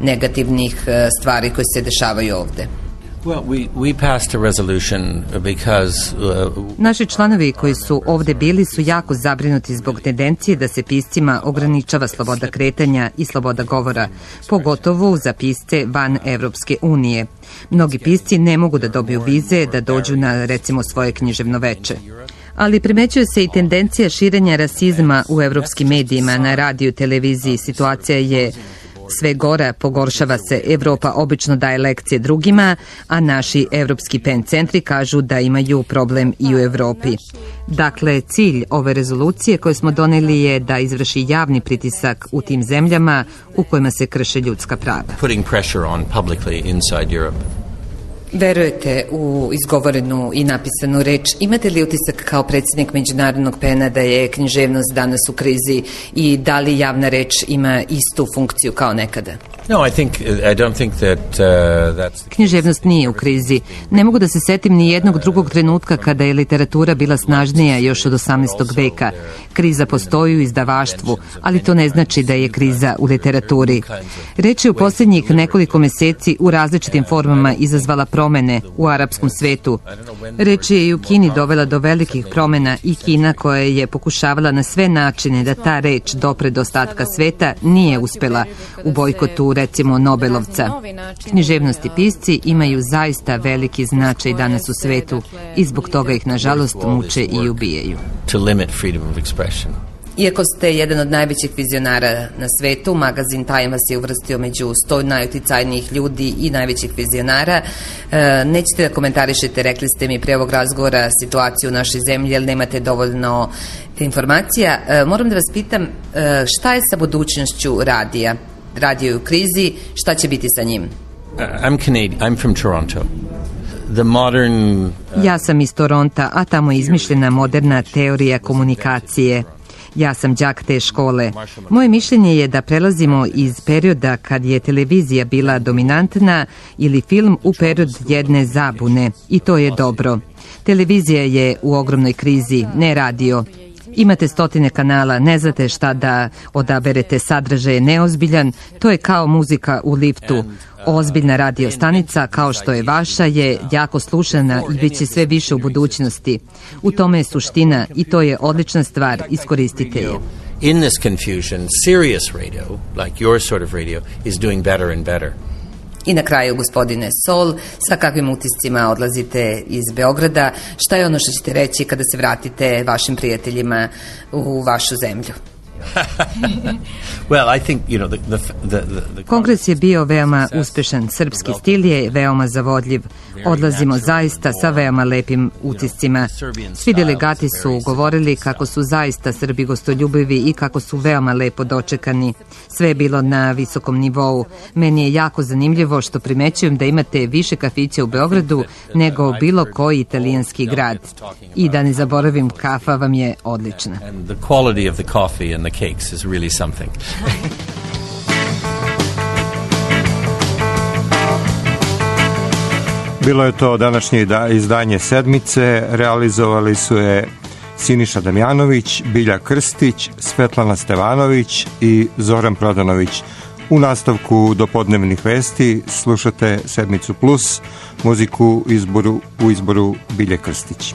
negativnih stvari koje se dešavaju ovde. Well, we, we passed a resolution because... Uh, Naši članovi koji su ovde bili su jako zabrinuti zbog tendencije da se piscima ograničava sloboda kretanja i sloboda govora, pogotovo za pisce van Evropske unije. Mnogi pisci ne mogu da dobiju vize da dođu na, recimo, svoje književno veče. Ali primećuje se i tendencija širenja rasizma u evropskim medijima, na radiju, televiziji. Situacija je sve gora, pogoršava se. Evropa obično daje lekcije drugima, a naši evropski pen centri kažu da imaju problem i u Evropi. Dakle, cilj ove rezolucije koje smo doneli je da izvrši javni pritisak u tim zemljama u kojima se krše ljudska prava. Putting pressure on publicly inside Europe. Verujete u izgovorenu i napisanu reč? Imate li utisak kao predsjednik Međunarodnog pena da je književnost danas u krizi i da li javna reč ima istu funkciju kao nekada? No, I think I don't think that uh, that's Književnost nije u krizi. Ne mogu da se setim ni jednog drugog trenutka kada je literatura bila snažnija još od osamnaestog veka. Kriza postoji u izdavaštvu, ali to ne znači da je kriza u literaturi. Reč je u posljednjih nekoliko meseci u različitim formama izazvala promene u arapskom svetu. Reč je i u Kini dovela do velikih promena i Kina koja je pokušavala na sve načine da ta reč dopre do ostatka sveta nije uspela u bojkotu, recimo, Nobelovca. Književnost i pisci imaju zaista veliki značaj danas u svetu i zbog toga ih, nažalost, muče i ubijaju. to limit freedom of expression. Iako ste jedan od najvećih vizionara na svetu, magazin Time vas je uvrstio među sto najuticajnijih ljudi i najvećih vizionara. E, nećete da komentarišete, rekli ste mi pre ovog razgovora, situaciju u našoj zemlji, jer nemate dovoljno informacija. E, moram da vas pitam, e, šta je sa budućnošću radija? Radio je u krizi, šta će biti sa njim? Uh, I'm Canadian. I'm from Toronto. The modern... Uh... Ja sam iz Toronta, a tamo je izmišljena moderna teorija komunikacije. Ja sam đak te škole. Moje mišljenje je da prelazimo iz perioda kad je televizija bila dominantna ili film u period jedne zabune. I to je dobro. Televizija je u ogromnoj krizi, ne radio. Imate stotine kanala, ne znate šta da odaberete, sadržaj je neozbiljan, to je kao muzika u liftu. Ozbiljna radio stanica, kao što je vaša, je jako slušana i bit će sve više u budućnosti. U tome je suština i to je odlična stvar, iskoristite je. In this confusion, serious radio, like your sort of radio, is doing better and better. I na kraju, gospodine Sol, sa kakvim utiscima odlazite iz Beograda? Šta je ono što ćete reći kada se vratite vašim prijateljima u vašu zemlju? Well, I think, you know, the, the, the, the... Kongres je bio veoma uspešan. Srpski stil je veoma zavodljiv. Odlazimo zaista sa veoma lepim utiscima. Svi delegati su govorili kako su zaista Srbi gostoljubivi i kako su veoma lepo dočekani. Sve je bilo na visokom nivou. Meni je jako zanimljivo što primećujem da imate više kafića u Beogradu nego bilo koji italijanski grad. I da ne zaboravim, kafa vam je odlična. And the quality of the coffee and the cakes is really something. Bilo je to današnje izdanje Sedmice, realizovali su je Siniša Damjanović, Bilja Krstić, Svetlana Stevanović i Zoran Prodanović. U nastavku dopodnevnih vesti slušate Sedmicu Plus, muziku izboru, u izboru Bilje Krstić.